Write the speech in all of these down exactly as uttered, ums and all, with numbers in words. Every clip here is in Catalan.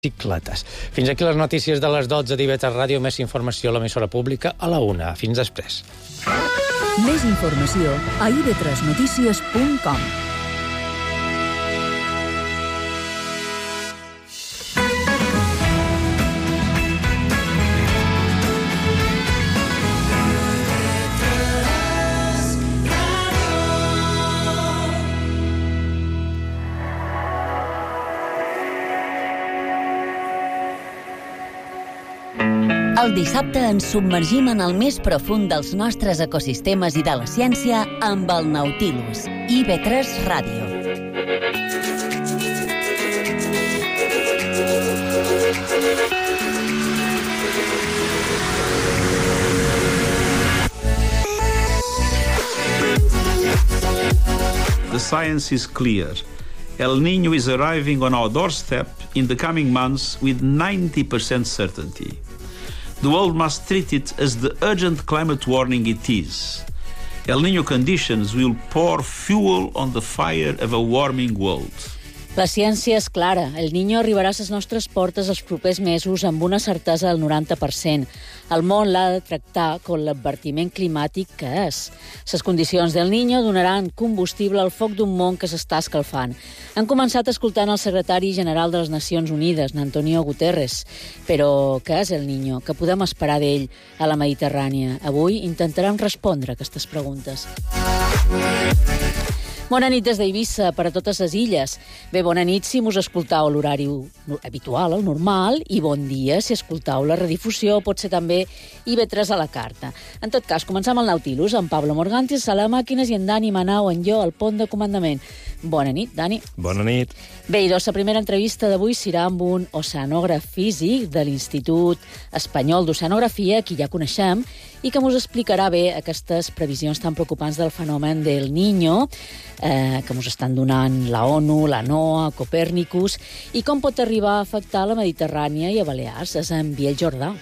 bicicletes. Fins aquí les notícies de les dotze d'I V tres Ràdio. Més informació a l'emissora pública a la una. Fins després. Més informació a i ve tres notícies punt com. El dissabte ens submergim en el més profund dels nostres ecosistemes i de la ciència amb el Nautilus. I ve tres Ràdio. The science is clear. El Niño is arriving on our doorstep in the coming months with ninety percent certainty. The world must treat it as the urgent climate warning it is. El Niño conditions will pour fuel on the fire of a warming world. La ciència és clara. El Niño arribarà a les nostres portes els propers mesos amb una certesa del noranta per cent. El món l'ha de tractar com l'advertiment climàtic que és. Les condicions del Niño donaran combustible al foc d'un món que s'està escalfant. Han començat escoltant el secretari general de les Nacions Unides, Antonio Guterres. Però què és el Niño? Què podem esperar d'ell a la Mediterrània? Avui intentarem respondre a aquestes preguntes. Bona nit des d'Eivissa per a totes les illes. Bé, bona nit si mos escoltau l'horari habitual, el normal, i bon dia si escoltau la redifusió, pot ser també I ve tres a la carta. En tot cas, comencem el Nautilus amb Pablo Morgantis a les màquines i en Dani Manau en jo al pont de comandament. Bona nit, Dani. Bona nit. Bé, doncs la primera entrevista d'avui serà amb un oceanògraf físic de l'Institut Espanyol d'Oceanografia, qui ja coneixem, i que ens explicarà bé aquestes previsions tan preocupants del fenomen del Niño, eh, que ens estan donant la ONU, la NOAA, Copèrnicus, i com pot arribar a afectar la Mediterrània i a Balears. És en Biel Jordà.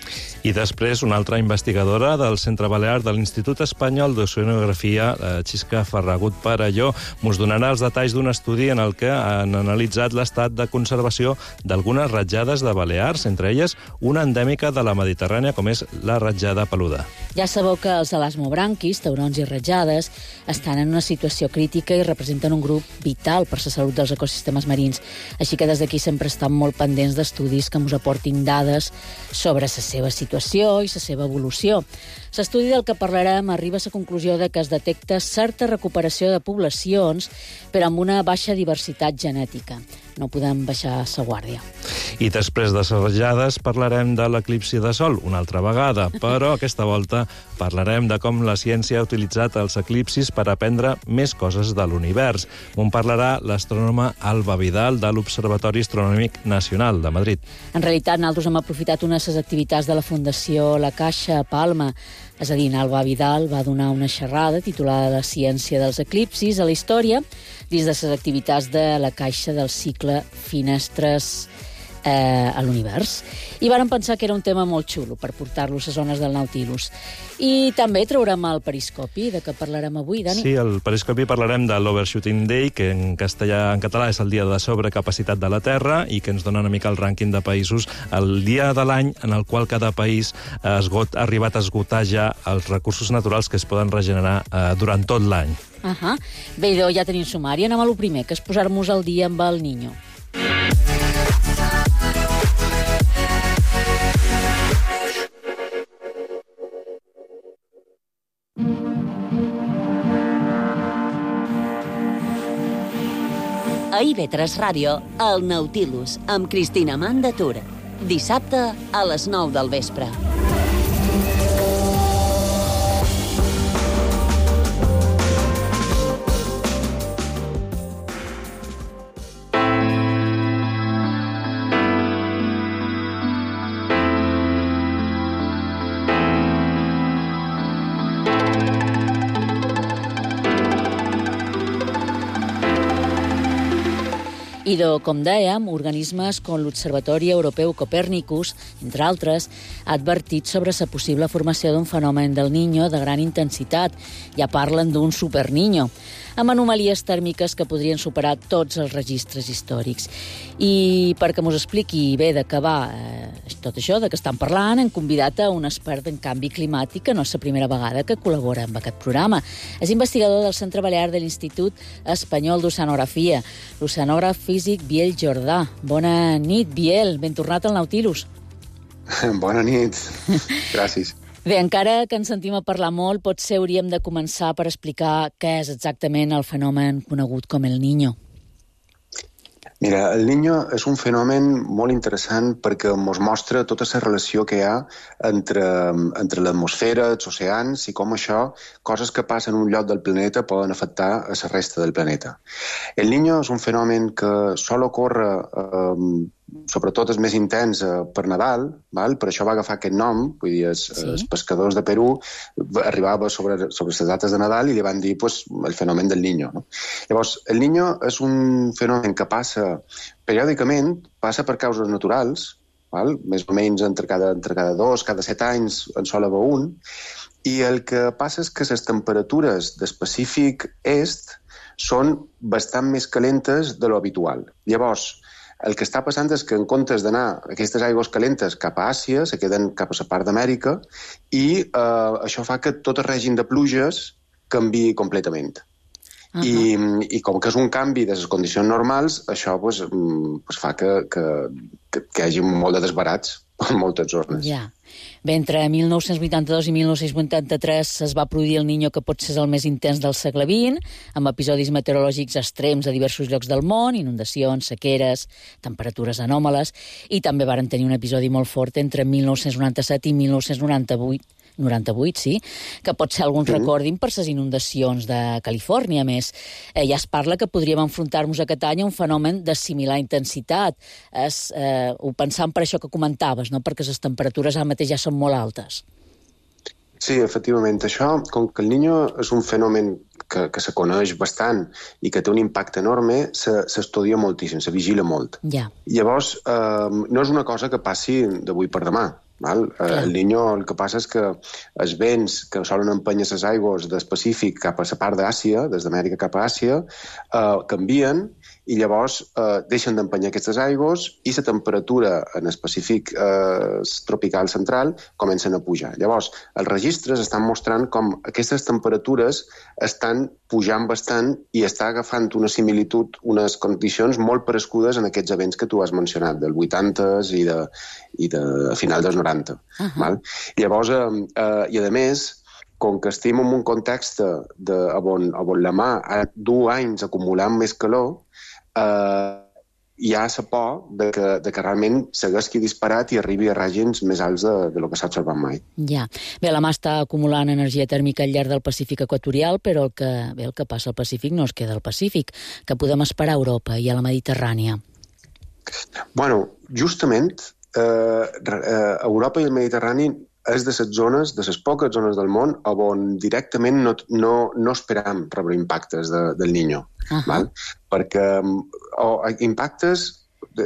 I després una altra investigadora del Centre Balear de l'Institut Espanyol d'Oceanografia, Xisca Ferragut Parelló, ens donarà els detalls d'un estudi en el que han analitzat l'estat de conservació d'algunes ratjades de Balears, entre elles una endèmica de la Mediterrània, com és la ratjada peluda. Ja sabeu que els elasmobranquis, taurons i ratjades, estan en una situació crítica i representen un grup vital per la salut dels ecosistemes marins. Així que des d'aquí sempre estan molt pendents d'estudis que ens aportin dades sobre la seva situació i la seva evolució. L'estudi del que parlarem arriba a la conclusió de que es detecta certa recuperació de poblacions, però amb una baixa diversitat genètica. No podem baixar la guàrdia. I després de les ratjades parlarem de l'eclipsi de sol una altra vegada, però aquesta volta parlarem de com la ciència ha utilitzat els eclipsis per aprendre més coses de l'univers. On parlarà l'astrònoma Alba Vidal de l'Observatori Astronòmic Nacional de Madrid. En realitat, nosaltres hem aprofitat una de les activitats de la Fundació La Caixa a Palma. És a dir, Alba Vidal va donar una xerrada titulada La ciència dels eclipsis a la història dins de les activitats de la Caixa del cicle Finestres eh, a l'univers. I vàrem pensar que era un tema molt xulo per portar-lo a les zones del Nautilus. I també traurem el periscopi, de què parlarem avui, Dani? Sí, al periscopi parlarem de l'Overshooting Day, que en castellà, en català és el dia de sobrecapacitat de la Terra i que ens dona una mica el rànquing de països, el dia de l'any en el qual cada país ha esgot, ha arribat a esgotar ja els recursos naturals que es poden regenerar eh, durant tot l'any. Uh -huh. Bé, doncs ja tenim sumari. Anem a lo primer, que és posar-nos al dia amb el Niño. A I ve tres Ràdio, el Nautilus, amb Cristina Mandatur. Dissabte a les nou del vespre. I, de, com dèiem, organismes com l'Observatori Europeu Copèrnicus, entre altres, ha advertit sobre la possible formació d'un fenomen del Niño de gran intensitat. Ja parlen d'un superniño. amb anomalies tèrmiques que podrien superar tots els registres històrics. I perquè m'ho expliqui bé de què va eh, tot això de què estan parlant, hem convidat a un expert en canvi climàtic, que no és la primera vegada que col·labora amb aquest programa. És investigador del Centre Balear de l'Institut Espanyol d'Oceanografia, l'oceanògraf físic Biel Jordà. Bona nit, Biel. Ben tornat al Nautilus. Bona nit. Gràcies. Bé, encara que ens sentim a parlar molt, potser hauríem de començar per explicar què és exactament el fenomen conegut com el Niño. Mira, el Niño és un fenomen molt interessant perquè ens mostra tota la relació que hi ha entre, entre l'atmosfera, els oceans i com això, coses que passen en un lloc del planeta poden afectar a la resta del planeta. El Niño és un fenomen que sol ocórrer, eh, sobretot és més intens eh, per Nadal, val? Per això va agafar aquest nom, vull dir, els, sí. els pescadors de Perú arribava sobre, sobre les dates de Nadal i li van dir pues, el fenomen del Niño. No? Llavors, el Niño és un fenomen que passa periòdicament, passa per causes naturals, val? Més o menys entre cada, entre cada dos, cada set anys en sol haver un, i el que passa és que les temperatures del Pacífic Est són bastant més calentes de lo habitual. Llavors, el que està passant és que en comptes d'anar aquestes aigües calentes cap a Àsia, se queden cap a la part d'Amèrica i eh, això fa que tot el règim de pluges canviï completament. Uh-huh. I, I com que és un canvi de les condicions normals, això pues, pues fa que, que, que, que hi hagi molt de desbarats per moltes zones. Ja. Bé, entre mil nou-cents vuitanta-dos i mil nou-cents vuitanta-tres es va produir el Niño, que pot ser el més intens del segle vint, amb episodis meteorològics extrems a diversos llocs del món, inundacions, sequeres, temperatures anòmales, i també varen tenir un episodi molt fort entre mil nou-cents noranta-set i mil nou-cents noranta-vuit, noranta-vuit, sí, que pot ser alguns recordin per les inundacions de Califòrnia. A més, eh, ja es parla que podríem enfrontar-nos aquest any a un fenomen de similar intensitat. Es, eh, ho pensam per això que comentaves, no? Perquè les temperatures ara mateix ja són molt altes. Sí, efectivament. Això, com que el Niño és un fenomen que, que se coneix bastant i que té un impacte enorme, s'estudia moltíssim, se vigila molt. Ja. Llavors, eh, no és una cosa que passi d'avui per demà. Val? Clar. El Niño el que passa és que els vents que solen empènyer les aigües del Pacífic cap a la part d'Àsia, des d'Amèrica cap a Àsia, eh, canvien i llavors eh, deixen d'empènyer aquestes aigües i la temperatura en el Pacífic eh, tropical central comencen a pujar. Llavors, els registres estan mostrant com aquestes temperatures estan pujant bastant i està agafant una similitud, unes condicions molt parescudes en aquests events que tu has mencionat, del vuitanta i de, i de final dels noranta. Uh-huh. Val? Llavors, eh, eh, i a més, com que estem en un context de, on, on la mà ha du anys acumulant més calor, eh, hi ha la por de que, de que realment s'haguesqui disparat i arribi a règims més alts de, de lo que s'ha observat mai. Ja. Bé, la mà està acumulant energia tèrmica al llarg del Pacífic equatorial, però el que, bé, el que passa al Pacífic no es queda al Pacífic, que podem esperar a Europa i a la Mediterrània. Bueno, justament, eh, eh, Europa i el Mediterrani és de les zones, de les poques zones del món on directament no, no, no esperam rebre impactes de, del Niño. Uh-huh. Val? Perquè o, impactes, de,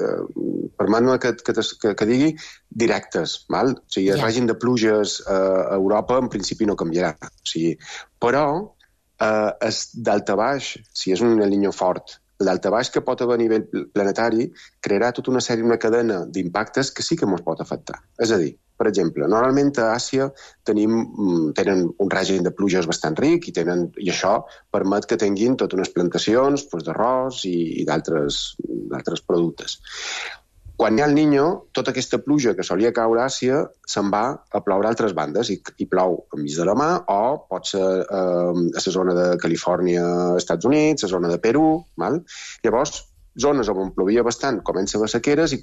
permet-me que, que, que, que digui, directes. Val? O sigui, el yeah. règim de pluges eh, a Europa en principi no canviarà. O sigui, però eh, és d'alta baix, si és un El Niño fort, l'altabaix que pot haver a nivell planetari crearà tota una sèrie, una cadena d'impactes que sí que ens pot afectar. És a dir, per exemple, normalment a Àsia tenim, tenen un règim de pluges bastant ric i, tenen, i això permet que tinguin totes unes plantacions doncs, d'arròs i, i d'altres productes. Quan hi ha el Niño, tota aquesta pluja que solia caure a Àsia se'n va a ploure a altres bandes i, i plou enmig de la mà o pot ser eh, a la zona de Califòrnia, Estats Units, a la zona de Perú. Val? Llavors, zones on plovia bastant comença a haver sequeres i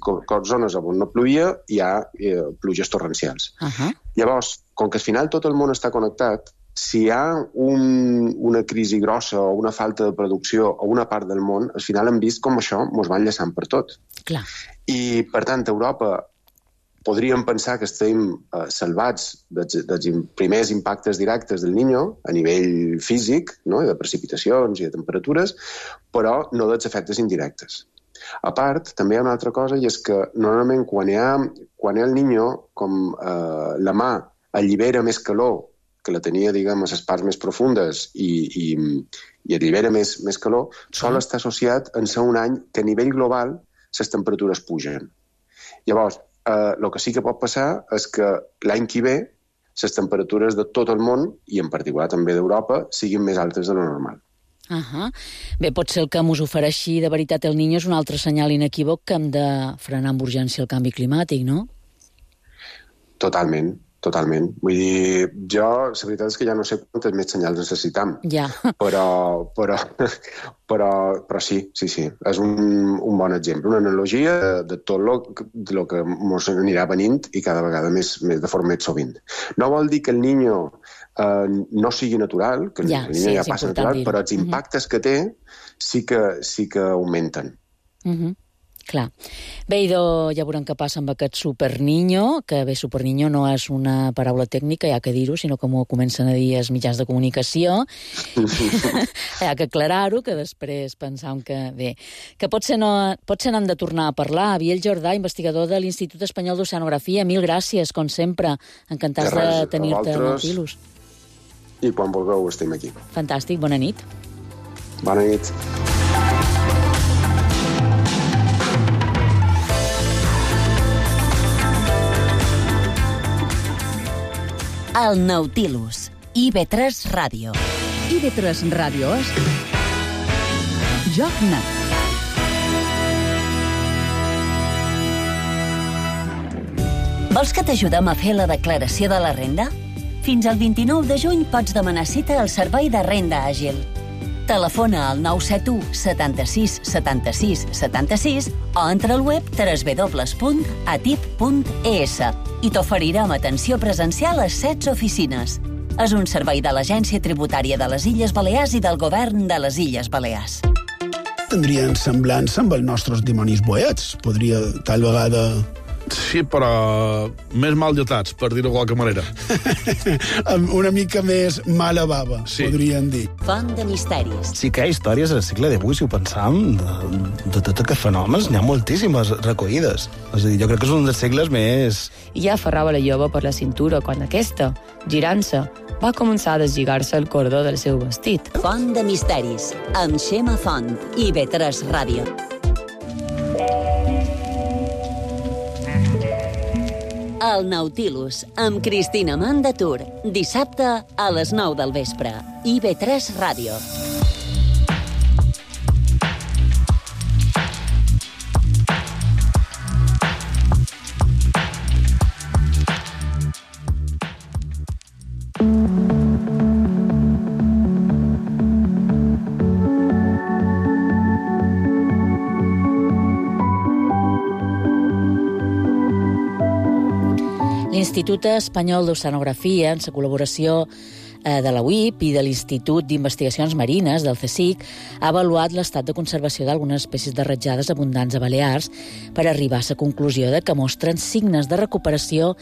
zones on no plovia hi ha eh, pluges torrencials. Uh-huh. Llavors, com que al final tot el món està connectat, si hi ha un, una crisi grossa o una falta de producció o una part del món, al final hem vist com això ens va enllaçant per tot. Clar. I, per tant, a Europa podríem pensar que estem eh, salvats dels, dels primers impactes directes del Niño a nivell físic, no? De precipitacions i de temperatures, però no dels efectes indirectes. A part, també hi ha una altra cosa, i és que normalment quan hi ha, quan hi ha el Niño, com eh, la mà allibera més calor que la tenia, diguem, a les parts més profundes i, i, i allibera més, més calor, sol estar associat en ser un any que a nivell global les temperatures pugen. Llavors, eh, el que sí que pot passar és que l'any que ve les temperatures de tot el món, i en particular també d'Europa, siguin més altes de lo normal. Uh -huh. Bé, pot ser el que mos ofereixi de veritat el Niño és un altre senyal inequívoc que hem de frenar amb urgència el canvi climàtic, no? Totalment, totalment. Vull dir, jo, la veritat és que ja no sé quantes més senyals necessitam. Ja. Però, però, però, però sí, sí, sí. És un, un bon exemple, una analogia de, de tot el que ens anirà venint i cada vegada més, més de forma més sovint. No vol dir que el Niño eh, no sigui natural, que ja, el Niño sí, ja passa natural, dir-ho. Però els impactes uh -huh. que té sí que, sí que augmenten. Uh -huh. Clar. Bé, idò, ja veurem què passa amb aquest superniño, que bé, superniño no és una paraula tècnica, hi ha que dir-ho, sinó que m'ho comencen a dir els mitjans de comunicació. Hi ha que aclarar-ho, que després pensam que, bé, que potser no, potser n'hem de tornar a parlar. Biel Jordà, investigador de l'Institut Espanyol d'Oceanografia, mil gràcies, com sempre. Encantats de, de tenir-te a Nautilus. I quan vulgueu estem aquí. Fantàstic, bona nit. Bona nit. El Nautilus, I V tres Ràdio. I V tres Ràdio és Joc Net. Vols que t'ajudem a fer la declaració de la renda? Fins al vint-i-nou de juny pots demanar cita al Servei de Renda Àgil. Telefona al nou set u setanta-sis setanta-sis setanta-sis o entra al web w w w punt atip punt e s i t'oferirem atenció presencial a setze oficines. És un servei de l'Agència Tributària de les Illes Balears i del Govern de les Illes Balears. Tindrien semblança amb els nostres dimonis boets. Podria, tal vegada... Sí, però més mal dotats, per dir-ho de qualque manera. Una mica més mala bava, sí. Podríem dir. Font de misteris. Sí que hi ha històries al segle divuit, si ho pensam, de, de tot aquests fenòmens, n'hi ha moltíssimes recollides. És a dir, jo crec que és un dels segles més... I ja aferrava la jove per la cintura quan aquesta, girant-se, va començar a deslligar-se el cordó del seu vestit. Font de misteris, amb Xema Font, I V tres Ràdio. El Nautilus, amb Cristina Mandatur, dissabte a les nou del vespre. I V tres Ràdio. L'Institut Espanyol d'Oceanografia, en la col·laboració de la U I P i de l'Institut d'Investigacions Marines, del CSIC, ha avaluat l'estat de conservació d'algunes espècies de ratjades abundants a Balears per arribar a la conclusió de que mostren signes de recuperació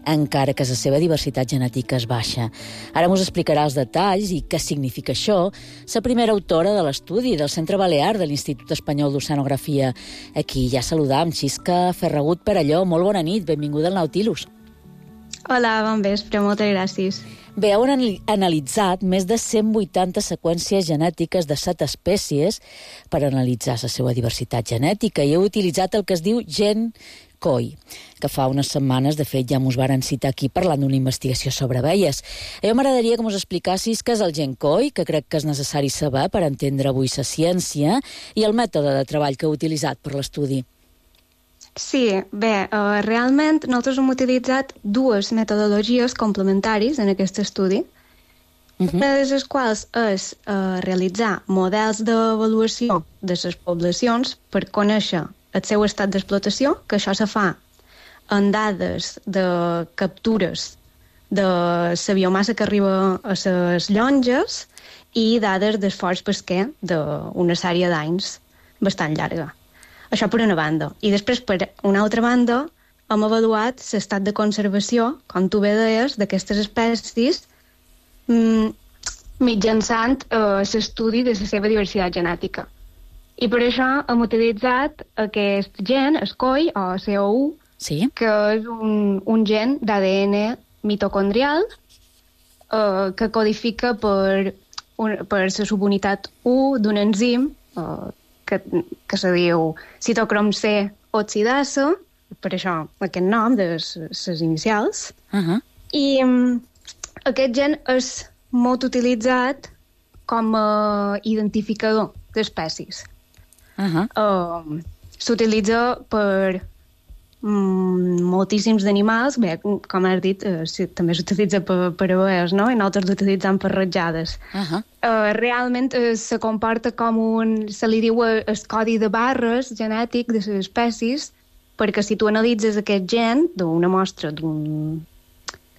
encara que la seva diversitat genètica és baixa. Ara mos explicarà els detalls i què significa això la primera autora de l'estudi del Centre Balear de l'Institut Espanyol d'Oceanografia. Aquí ja saludam Xisca Ferragut Perelló. Molt bona nit, benvinguda al Nautilus. Hola, bon vespre, moltes gràcies. Bé, heu analitzat més de cent vuitanta seqüències genètiques de set espècies per analitzar la seva diversitat genètica i heu utilitzat el que es diu gen C O I, que fa unes setmanes, de fet, ja mos varen citar aquí parlant d'una investigació sobre abelles. A mi m'agradaria que mos explicassis què és el gen C O I, que crec que és necessari saber per entendre avui la ciència, i el mètode de treball que heu utilitzat per l'estudi. Sí, bé, uh, realment nosaltres hem utilitzat dues metodologies complementaris en aquest estudi, uh-huh. una de les quals és uh, realitzar models d'avaluació de les poblacions per conèixer el seu estat d'explotació, que això se fa en dades de captures de la biomassa que arriba a les llonges i dades d'esforç pesquer d'una sèrie d'anys bastant llarga. Això per una banda. I després, per una altra banda, hem avaluat l'estat de conservació, com tu bé deies, d'aquestes espècies mm, mitjançant eh, l'estudi de la seva diversitat genètica. I per això hem utilitzat aquest gen, el C O I, o C O U, sí? que és un, un gen d'A D N mitocondrial eh, que codifica per, un, per la subunitat u d'un enzim eh, que, que se diu citocrom C oxidasa, per això aquest nom de les inicials. Uh-huh. I um, aquest gen és molt utilitzat com a identificador d'espècies. Uh-huh. Uh, S'utilitza per um, moltíssims d'animals. Bé, com has dit, uh, sí, també s'utilitza per, per abelles, no? I nosaltres l'utilitzem per ratjades. Uh-huh. Uh, realment uh, se comporta com un... Se li diu el codi de barres genètic de les espècies, perquè si tu analitzes aquest gen d'una mostra d'un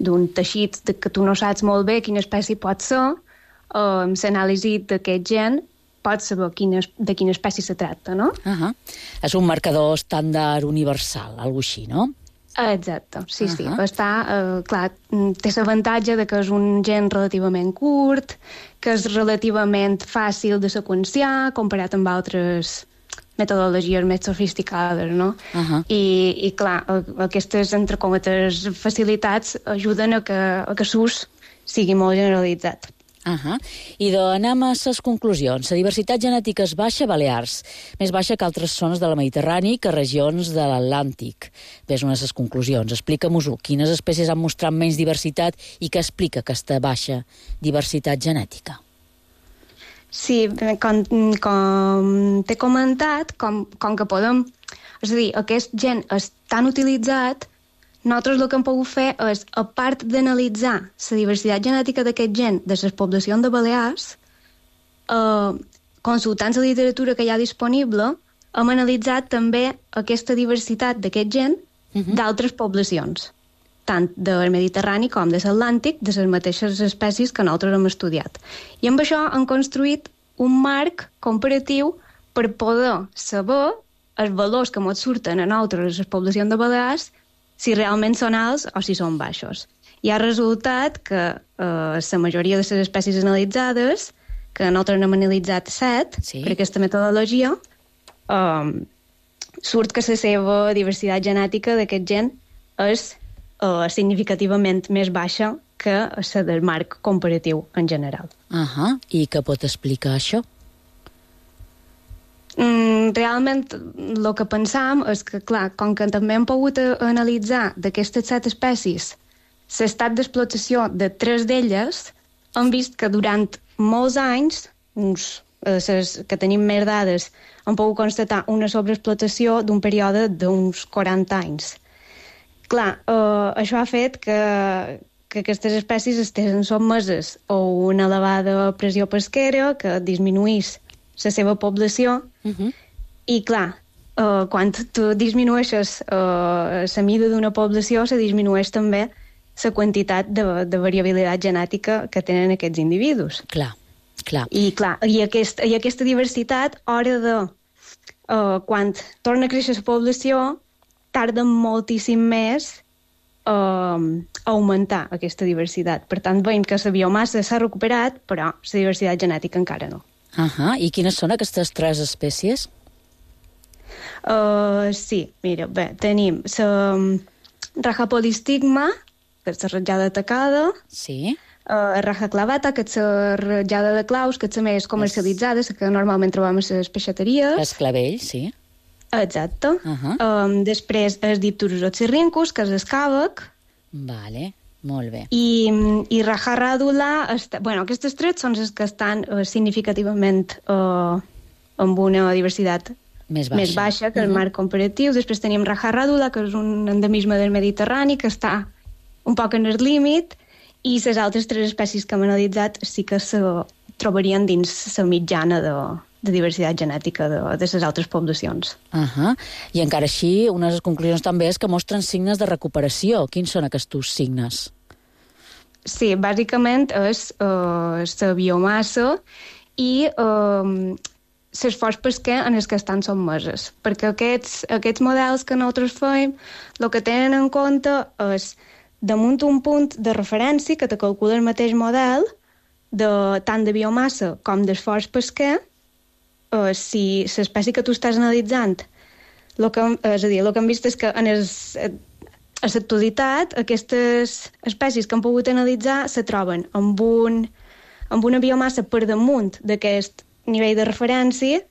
d'un teixit de que tu no saps molt bé quina espècie pot ser, uh, amb l'anàlisi d'aquest gen pots saber quina, de quina espècie se tracta, no? Uh-huh. És un marcador estàndard universal, alguna així, no? Exacte, sí, Uh-huh. sí. Està, uh, clar, té l'avantatge de que és un gen relativament curt, que és relativament fàcil de seqüenciar, comparat amb altres metodologies més sofisticades, no? Uh-huh. I, i clar, aquestes, entre cometes, facilitats ajuden a que, a que l'ús sigui molt generalitzat. Uh-huh. I doncs anem a les conclusions. La diversitat genètica és baixa a Balears, més baixa que altres zones de la Mediterrani que regions de l'Atlàntic. Ves una de les conclusions. Explica-mos-ho. Quines espècies han mostrat menys diversitat i què explica aquesta baixa diversitat genètica? Sí, com, com t'he comentat, com, com que podem... És a dir, aquest gen és tan utilitzat, nosaltres el que hem pogut fer és, a part d'analitzar la diversitat genètica d'aquest gen de les poblacions de Balears, eh, consultant la literatura que hi ha disponible, hem analitzat també aquesta diversitat d'aquest gen uh-huh. d'altres poblacions, tant del Mediterrani com de l'Atlàntic, de les mateixes espècies que nosaltres hem estudiat. I amb això han construït un marc comparatiu per poder saber els valors que ens surten a nosaltres, les poblacions de Balears, si realment són alts o si són baixos. I ha resultat que eh, la majoria de les espècies analitzades, que nosaltres n'hem analitzat set, sí. per aquesta metodologia, eh, surt que la seva diversitat genètica d'aquest gen és Uh, significativament més baixa que la del marc comparatiu en general. Uh-huh. I què pot explicar això? Mm, realment, el que pensam és que, clar, com que també hem pogut analitzar d'aquestes set espècies l'estat d'explotació de tres d'elles, hem vist que durant molts anys, uns, eh, ses, que tenim més dades, hem pogut constatar una sobreexplotació d'un període d'uns quaranta anys. Clar, eh, això ha fet que, que aquestes espècies estiguin sotmeses a una elevada pressió pesquera que disminuís la seva població uh-huh. i, clar, eh, quan tu disminueixes eh, la mida d'una població, se disminueix també la quantitat de, de variabilitat genètica que tenen aquests individus. Clar, clar. I, clar, i, aquest, i aquesta diversitat, a hora de... Eh, quan torna a créixer la població, tarda moltíssim més eh, a augmentar aquesta diversitat. Per tant, veiem que la biomassa s'ha recuperat, però la diversitat genètica encara no. Uh-huh. I quines són aquestes tres espècies? Uh, sí, mira, bé, tenim la Rajapolistigma, que és la ratjada tacada, sí. uh, Raja clavata, que és la ratjada de claus, que és la més comercialitzada, la que normalment trobem a les peixateries. Els clavells, sí. Exacte. Uh-huh. Um, després el Dipturus oxyrhynchus, que és el càvec. Vale, molt bé. I, i Raja radula, està, bueno, aquestes tres són les que estan uh, significativament uh, amb una diversitat més baixa, més baixa que el uh-huh. marc comparatiu. Després tenim Raja radula, que és un endemisme del Mediterrani, que està un poc en el límit, i les altres tres espècies que hem analitzat sí que se trobarien dins la mitjana de, de diversitat genètica de, de les altres poblacions. Uh-huh. I encara així, una de les conclusions també és que mostren signes de recuperació. Quins són aquests signes? Sí, bàsicament és uh, la biomassa i uh, l'esforç pesquer en els que estan sotmeses. Perquè aquests, aquests models que nosaltres fem, el que tenen en compte és damunt un punt de referència que te calcula el mateix model de, tant de biomassa com d'esforç pesquer. Uh, si l'espècie que tu estàs analitzant, lo que, és a dir, el que hem vist és que en els, a l'actualitat, aquestes espècies que han pogut analitzar se troben amb, un, amb una biomassa per damunt d'aquest nivell de referència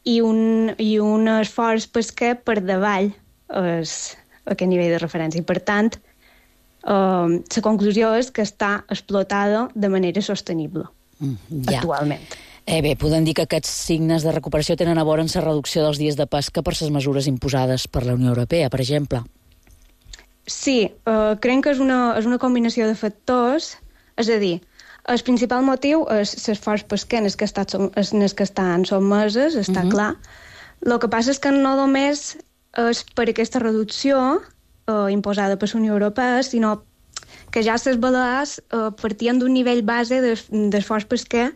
i un, i un esforç pesquer per davall és, aquest nivell de referència. I, per tant, eh, la conclusió és que està explotada de manera sostenible mm, ja. actualment. Eh, bé, podem dir que aquests signes de recuperació tenen a veure amb la reducció dels dies de pesca per les mesures imposades per la Unió Europea, per exemple. Sí, eh, crec que és una, és una combinació de factors, és a dir, el principal motiu és l'esforç pesquer en el que, estat, en el que estan sotmeses, està uh-huh. clar. El que passa és que no només és per aquesta reducció eh, imposada per la Unió Europea, sinó que ja les Balears eh, partien d'un nivell base d'esforç pesquer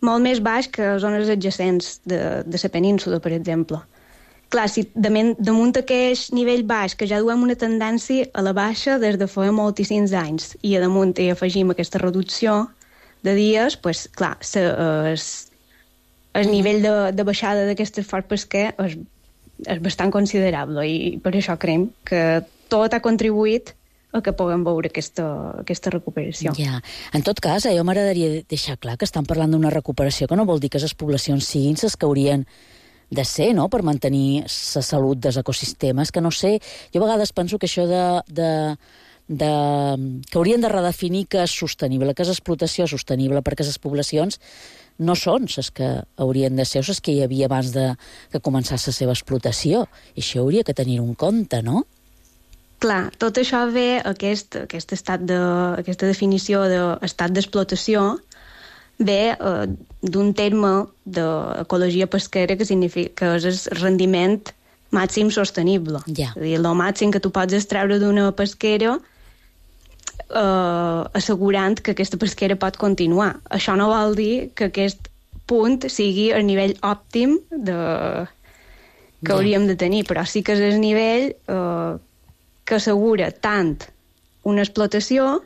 molt més baix que zones adjacents de, de la península, per exemple. Clar, si damunt, damunt aquest nivell baix, que ja duem una tendència a la baixa des de fa moltíssims anys, i a damunt hi afegim aquesta reducció de dies, pues, clar, se, es, el nivell de, de baixada d'aquest esforç pesquer és, és bastant considerable, i per això creiem que tot ha contribuït a que puguem veure aquesta, aquesta recuperació. Ja. En tot cas, a jo m'agradaria deixar clar que estan parlant d'una recuperació que no vol dir que les poblacions siguin les que haurien de ser, no?, per mantenir la salut dels ecosistemes, que no sé, jo a vegades penso que això de, de, de que haurien de redefinir que és sostenible, que és explotació sostenible, perquè les poblacions no són les que haurien de ser, les que hi havia abans de que començés la seva explotació, i això hauria que tenir un compte, no? Clar, tot això ve, aquest, aquest estat de, aquesta definició d'estat d'explotació, ve eh, d'un terme d'ecologia pesquera que significa que és el rendiment màxim sostenible. Ja. És a dir, el màxim que tu pots extreure d'una pesquera eh, assegurant que aquesta pesquera pot continuar. Això no vol dir que aquest punt sigui el nivell òptim de... que ja. hauríem de tenir, però sí que és el nivell eh, que assegura tant una explotació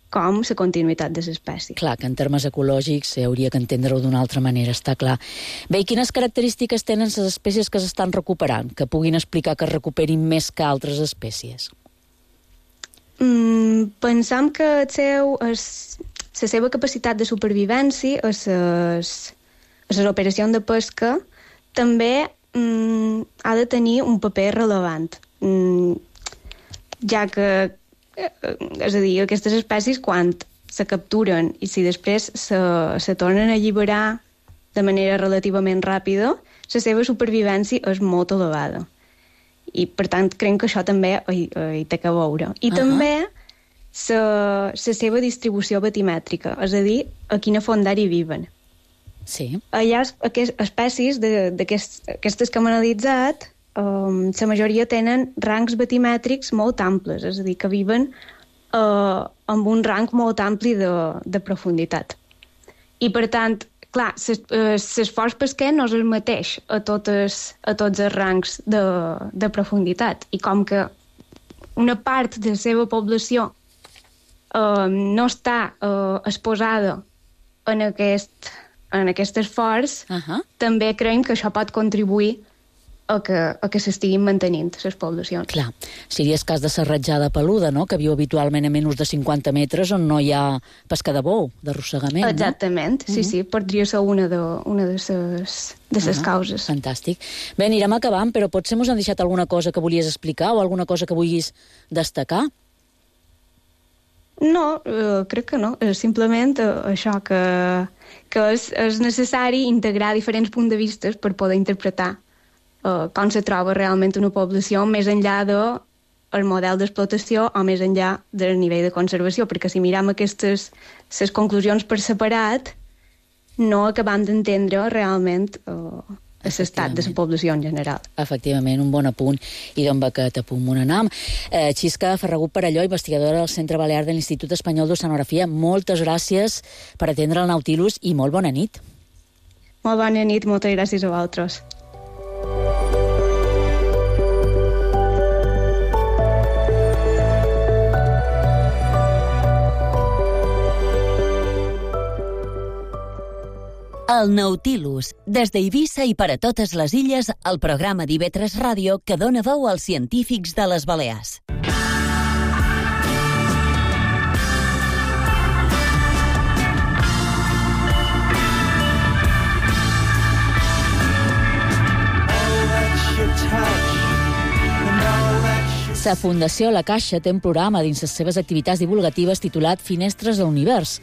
com la continuïtat de l'espècie. Clar, que en termes ecològics hauria que entendre-ho d'una altra manera, està clar. Bé, i quines característiques tenen les espècies que s'estan recuperant, que puguin explicar que es recuperin més que altres espècies? Mm, pensam que el seu, es, la seva capacitat de supervivència a les, a les operacions de pesca també mm, ha de tenir un paper relevant, mm, ja que és a dir, aquestes espècies quan se capturen i si després se, se tornen a alliberar de manera relativament ràpida, la seva supervivència és molt elevada. I, per tant, crec que això també hi, hi té que veure. I uh-huh. també la seva distribució batimètrica, és a dir, a quina fondària viven. Sí. Hi ha aquest, espècies d'aquestes que hem analitzat. Um, la majoria tenen rangs batimètrics molt amples, és a dir, que viven uh, amb un rang molt ampli de, de profunditat. I, per tant, clar, l'esforç pesquer no és el mateix a, totes, a tots els rangs de, de profunditat. I com que una part de la seva població uh, no està uh, exposada en aquest, en aquest esforç, uh-huh. també creiem que això pot contribuir a que, a que s'estiguin mantenint les poblacions. Clar, seria el cas de la ratjada peluda, no?, que viu habitualment a menys de cinquanta metres on no hi ha pesca de bou, d'arrossegament, no? Exactament, sí, uh-huh. sí, podria ser una de, una de les de ses uh-huh. causes. Fantàstic. Bé, anirem acabant, però potser mos han deixat alguna cosa que volies explicar o alguna cosa que vulguis destacar? No, eh, crec que no. Simplement eh, això, que, que és, és necessari integrar diferents punts de vista per poder interpretar Uh, com se troba realment una població més enllà del model d'explotació o més enllà del nivell de conservació, perquè si miram aquestes les conclusions per separat no acabam d'entendre realment uh, l'estat de la població en general. Efectivament, un bon apunt, i d'on va aquest apunt on anam. Eh, Xisca Ferragut Perelló, investigadora del Centre Balear de l'Institut Espanyol d'Oceanografia, moltes gràcies per atendre el Nautilus i molt bona nit. Molt bona nit, moltes gràcies a vosaltres. El Nautilus, des d'Eivissa i per a totes les illes, el programa d'I V tres Ràdio que dona veu als científics de les Balears. La Fundació La Caixa té un programa dins les seves activitats divulgatives titulat Finestres a l'Univers,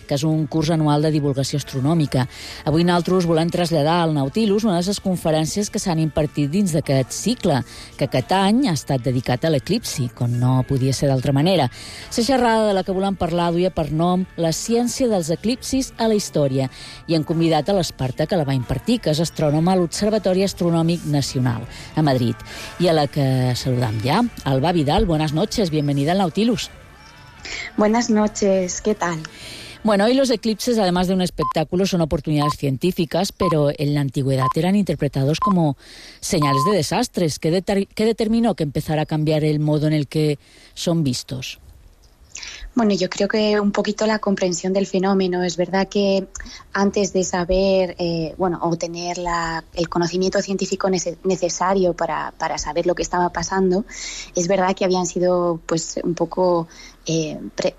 que és un curs anual de divulgació astronòmica. Avui nosaltres volem traslladar al Nautilus una de les conferències que s'han impartit dins d'aquest cicle, que aquest any ha estat dedicat a l'eclipsi, com no podia ser d'altra manera. La xerrada de la que volem parlar duia per nom La ciència dels eclipsis a la història, i hem convidat a l'Esparta que la va impartir, que és astrònoma a l'Observatori Astronòmic Nacional, a Madrid, i a la que saludam ja, Alba Vidal. Buenas noches, bienvenida al Nautilus. Buenas noches, ¿qué tal? Bueno, hoy los eclipses, además de un espectáculo, son oportunidades científicas, pero en la antigüedad eran interpretados como señales de desastres. ¿Qué, deter- qué determinó que empezara a cambiar el modo en el que son vistos? Bueno, yo creo que un poquito la comprensión del fenómeno. Es verdad que antes de saber, eh, bueno, o tener la, el conocimiento científico nece- necesario para, para saber lo que estaba pasando, es verdad que habían sido, pues, un poco eh, pre-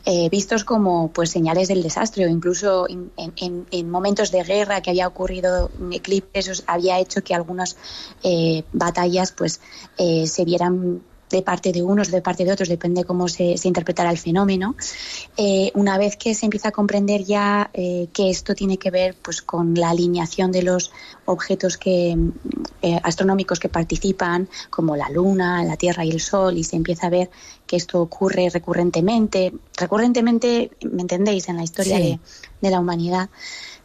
eh, vistos como, pues, señales del desastre, o incluso en, en, en momentos de guerra que había ocurrido eclipses, había hecho que algunas eh, batallas, pues, eh, se vieran de parte de unos, de parte de otros, depende cómo se, se interpretara el fenómeno. Eh, una vez que se empieza a comprender ya eh, que esto tiene que ver, pues, con la alineación de los objetos que, eh, astronómicos que participan, como la Luna, la Tierra y el Sol, y se empieza a ver que esto ocurre recurrentemente, recurrentemente, ¿me entendéis?, en la historia sí. de, de la humanidad,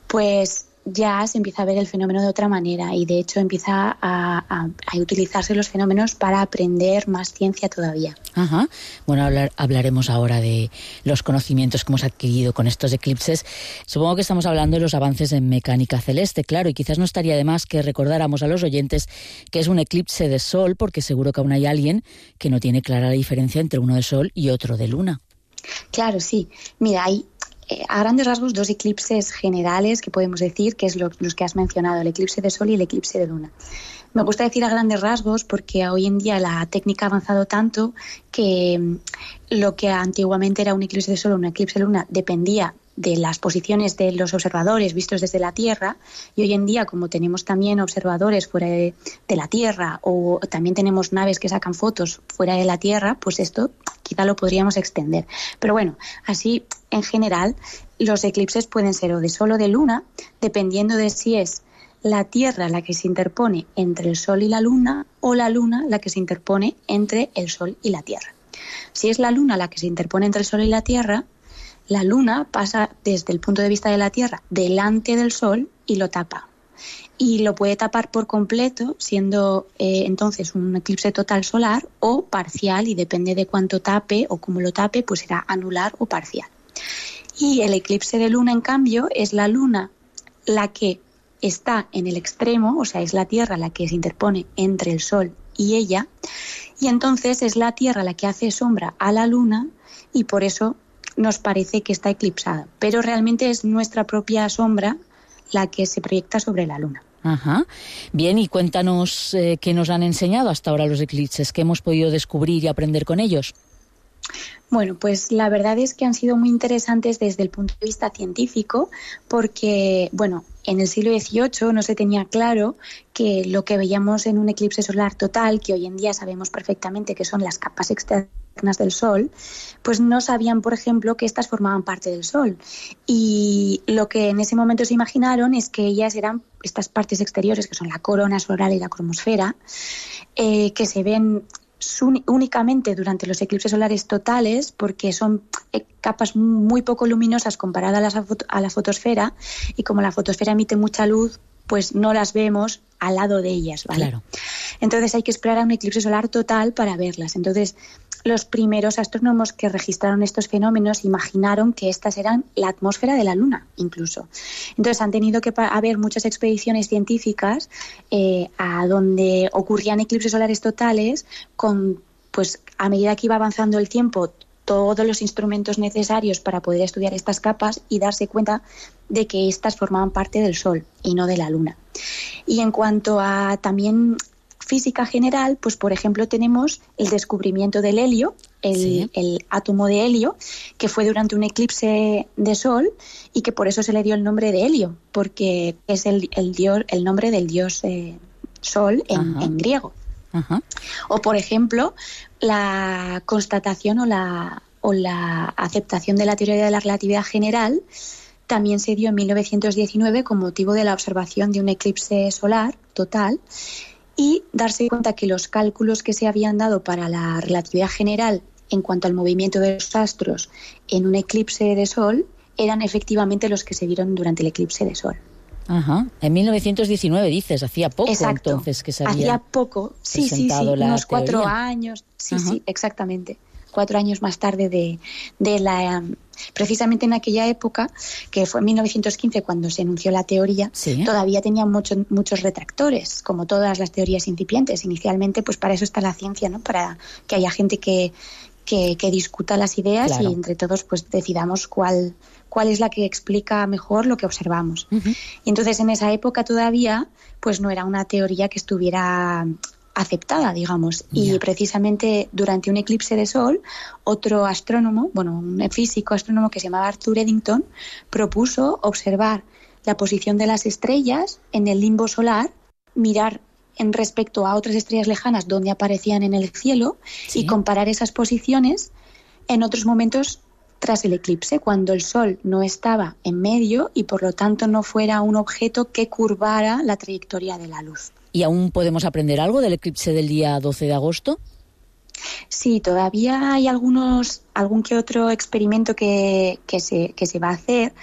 pues ya se empieza a ver el fenómeno de otra manera, y de hecho empieza a, a, a utilizarse los fenómenos para aprender más ciencia todavía. Ajá. Bueno, hablar, hablaremos ahora de los conocimientos que hemos adquirido con estos eclipses. Supongo que estamos hablando de los avances en mecánica celeste, claro, y quizás no estaría de más que recordáramos a los oyentes que es un eclipse de sol, porque seguro que aún hay alguien que no tiene clara la diferencia entre uno de sol y otro de luna. Claro, sí. Mira, hay Eh, a grandes rasgos, dos eclipses generales que podemos decir, que es lo, los que has mencionado, el eclipse de Sol y el eclipse de Luna. Me gusta decir a grandes rasgos porque hoy en día la técnica ha avanzado tanto que lo que antiguamente era un eclipse de Sol o un eclipse de Luna dependía de las posiciones de los observadores vistos desde la Tierra, y hoy en día, como tenemos también observadores fuera de, de la Tierra, o también tenemos naves que sacan fotos fuera de la Tierra, pues esto quizá lo podríamos extender. Pero bueno, así en general los eclipses pueden ser o de Sol o de Luna, dependiendo de si es la Tierra la que se interpone entre el Sol y la Luna, o la Luna la que se interpone entre el Sol y la Tierra. Si es la Luna la que se interpone entre el Sol y la Tierra, la Luna pasa desde el punto de vista de la Tierra delante del Sol y lo tapa. Y lo puede tapar por completo, siendo eh, entonces un eclipse total solar o parcial, y depende de cuánto tape o cómo lo tape, pues será anular o parcial. Y el eclipse de Luna, en cambio, es la Luna la que está en el extremo, o sea, es la Tierra la que se interpone entre el Sol y ella, y entonces es la Tierra la que hace sombra a la Luna, y por eso nos parece que está eclipsada, pero realmente es nuestra propia sombra la que se proyecta sobre la Luna. Ajá. Bien, y cuéntanos eh, qué nos han enseñado hasta ahora los eclipses, qué hemos podido descubrir y aprender con ellos. Bueno, pues la verdad es que han sido muy interesantes desde el punto de vista científico, porque, bueno, en el siglo dieciocho no se tenía claro que lo que veíamos en un eclipse solar total, que hoy en día sabemos perfectamente que son las capas externas del Sol, pues no sabían, por ejemplo, que estas formaban parte del Sol. Y lo que en ese momento se imaginaron es que ellas eran estas partes exteriores, que son la corona solar y la cromosfera, eh, que se ven únicamente durante los eclipses solares totales, porque son capas muy poco luminosas comparadas a la, foto, a la fotosfera, y como la fotosfera emite mucha luz, pues no las vemos al lado de ellas, ¿vale? Claro. Entonces hay que esperar a un eclipse solar total para verlas. Entonces, los primeros astrónomos que registraron estos fenómenos imaginaron que estas eran la atmósfera de la Luna, incluso. Entonces han tenido que haber muchas expediciones científicas eh, a donde ocurrían eclipses solares totales, con, pues, a medida que iba avanzando el tiempo, todos los instrumentos necesarios para poder estudiar estas capas y darse cuenta de que estas formaban parte del Sol y no de la Luna. Y en cuanto a también física general, pues por ejemplo tenemos el descubrimiento del helio, el, sí. el átomo de helio, que fue durante un eclipse de Sol, y que por eso se le dio el nombre de helio, porque es el, el, dios, el nombre del dios eh, Sol en, en griego. Uh-huh. O, por ejemplo, la constatación o la, o la aceptación de la teoría de la relatividad general también se dio en mil novecientos diecinueve con motivo de la observación de un eclipse solar total, y darse cuenta que los cálculos que se habían dado para la relatividad general en cuanto al movimiento de los astros en un eclipse de sol eran efectivamente los que se vieron durante el eclipse de sol. Ajá. En mil novecientos diecinueve dices, hacía poco. Exacto. Entonces que se había hacía poco, sí, sí, sí, unos cuatro años, sí, Ajá. sí, exactamente. Cuatro años más tarde de, de la... Um, precisamente en aquella época, que fue en mil novecientos quince cuando se anunció la teoría, ¿sí? Todavía tenía mucho, muchos retractores, como todas las teorías incipientes. Inicialmente, pues para eso está la ciencia, ¿no? Para que haya gente que, que, que discuta las ideas, claro, y entre todos pues decidamos cuál, cuál es la que explica mejor lo que observamos. Uh-huh. Y entonces en esa época todavía pues no era una teoría que estuviera aceptada, digamos, y yeah. precisamente durante un eclipse de sol, otro astrónomo, bueno, un físico astrónomo que se llamaba Arthur Eddington, propuso observar la posición de las estrellas en el limbo solar, mirar en respecto a otras estrellas lejanas donde aparecían en el cielo, ¿sí?, y comparar esas posiciones en otros momentos tras el eclipse, cuando el Sol no estaba en medio y por lo tanto no fuera un objeto que curvara la trayectoria de la luz. ¿Y aún podemos aprender algo del eclipse del día doce de agosto? Sí, todavía hay algunos, algún que otro experimento que, que, se, que se va a hacer.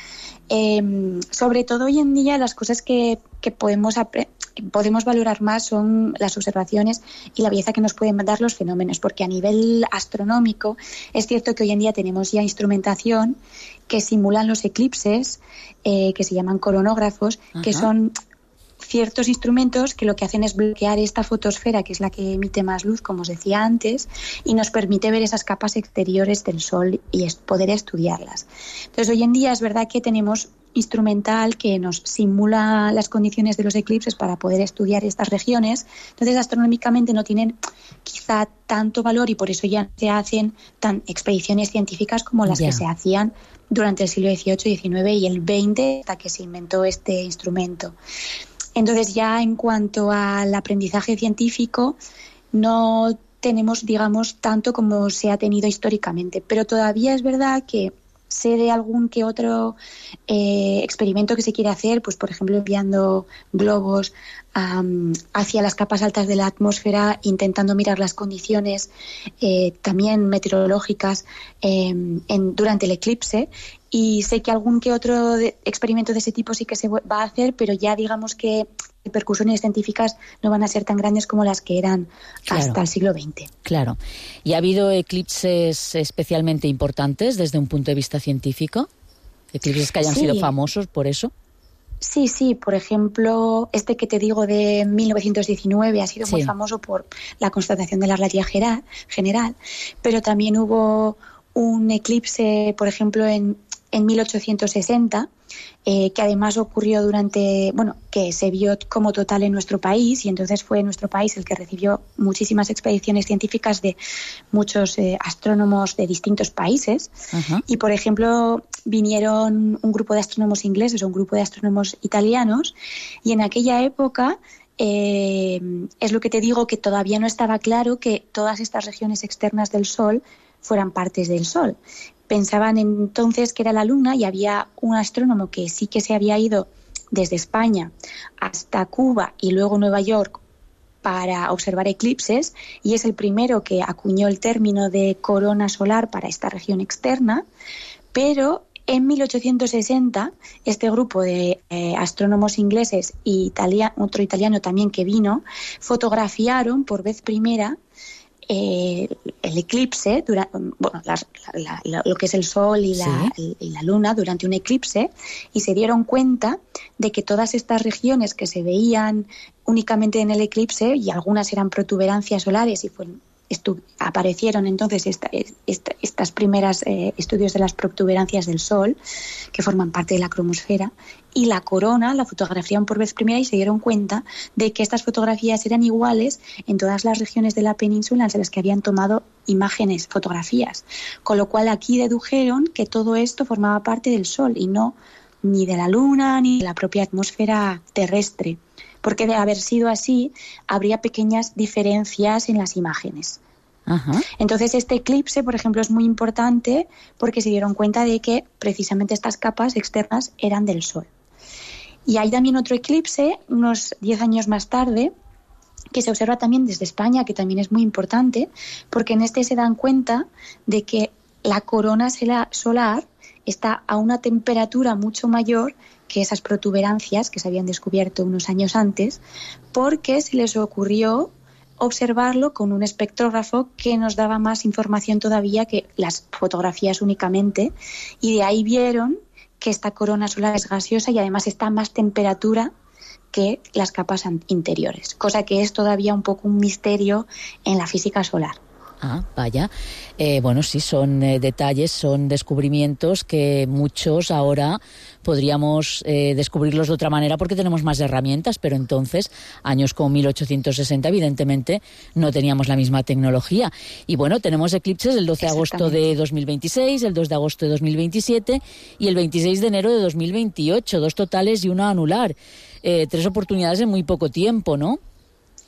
Eh, sobre todo hoy en día las cosas que, que podemos, apre- podemos valorar más son las observaciones y la belleza que nos pueden dar los fenómenos, porque a nivel astronómico es cierto que hoy en día tenemos ya instrumentación que simulan los eclipses, eh, que se llaman coronógrafos, Ajá. que son ciertos instrumentos que lo que hacen es bloquear esta fotosfera, que es la que emite más luz, como os decía antes, y nos permite ver esas capas exteriores del Sol y es poder estudiarlas. Entonces, hoy en día es verdad que tenemos instrumental que nos simula las condiciones de los eclipses para poder estudiar estas regiones. Entonces, astronómicamente no tienen quizá tanto valor y por eso ya se hacen tan expediciones científicas como las yeah. que se hacían durante el siglo dieciocho, diecinueve y el veinte, hasta que se inventó este instrumento. Entonces, ya en cuanto al aprendizaje científico, no tenemos, digamos, tanto como se ha tenido históricamente, pero todavía es verdad que sé de algún que otro eh, experimento que se quiere hacer, pues por ejemplo enviando globos um, hacia las capas altas de la atmósfera, intentando mirar las condiciones eh, también meteorológicas eh, en, durante el eclipse. Y sé que algún que otro de, experimento de ese tipo sí que se va a hacer, pero ya digamos que repercusiones científicas no van a ser tan grandes como las que eran claro. hasta el siglo veinte. Claro. ¿Y ha habido eclipses especialmente importantes desde un punto de vista científico? ¿Eclipses que hayan sí. sido famosos por eso? Sí, sí. Por ejemplo, este que te digo de mil novecientos diecinueve ha sido sí. muy famoso por la constatación de la relatividad general, pero también hubo un eclipse, por ejemplo, en en mil ochocientos sesenta, eh, que además ocurrió durante, bueno, que se vio como total en nuestro país, y entonces fue nuestro país el que recibió muchísimas expediciones científicas de muchos eh, astrónomos de distintos países. Uh-huh. Y, por ejemplo, vinieron un grupo de astrónomos ingleses o un grupo de astrónomos italianos, y en aquella época eh, es lo que te digo, que todavía no estaba claro que todas estas regiones externas del Sol fueran partes del Sol. Pensaban entonces que era la Luna, y había un astrónomo que sí que se había ido desde España hasta Cuba y luego Nueva York para observar eclipses, y es el primero que acuñó el término de corona solar para esta región externa. Pero en mil ochocientos sesenta este grupo de eh, astrónomos ingleses y italia- otro italiano también que vino, fotografiaron por vez primera Eh, el eclipse, dura, bueno, la, la, la, lo que es el Sol y la, sí. y la Luna durante un eclipse, y se dieron cuenta de que todas estas regiones que se veían únicamente en el eclipse, y algunas eran protuberancias solares y fueron, estu- aparecieron entonces esta, esta, estas primeras eh, estudios de las protuberancias del Sol, que forman parte de la cromosfera, y la corona la fotografiaron por vez primera y se dieron cuenta de que estas fotografías eran iguales en todas las regiones de la península en las que habían tomado imágenes, fotografías. Con lo cual aquí dedujeron que todo esto formaba parte del Sol y no ni de la Luna ni de la propia atmósfera terrestre. porque de haber sido así, habría pequeñas diferencias en las imágenes. Ajá. Entonces este eclipse, por ejemplo, es muy importante porque se dieron cuenta de que precisamente estas capas externas eran del Sol. Y hay también otro eclipse, unos diez años más tarde, que se observa también desde España, que también es muy importante, porque en este se dan cuenta de que la corona solar está a una temperatura mucho mayor que esas protuberancias que se habían descubierto unos años antes, porque se les ocurrió observarlo con un espectrógrafo que nos daba más información todavía que las fotografías únicamente, y de ahí vieron que esta corona solar es gaseosa y además está a más temperatura que las capas interiores, cosa que es todavía un poco un misterio en la física solar. Ah, vaya. Eh, bueno, sí, son eh, detalles, son descubrimientos que muchos ahora podríamos eh, descubrirlos de otra manera porque tenemos más herramientas, pero entonces, años como mil ochocientos sesenta, evidentemente, no teníamos la misma tecnología. Y bueno, tenemos eclipses el doce de agosto de dos mil veintiséis, el dos de agosto de dos mil veintisiete y el veintiséis de enero de dos mil veintiocho, dos totales y uno anular. Eh, tres oportunidades en muy poco tiempo, ¿no?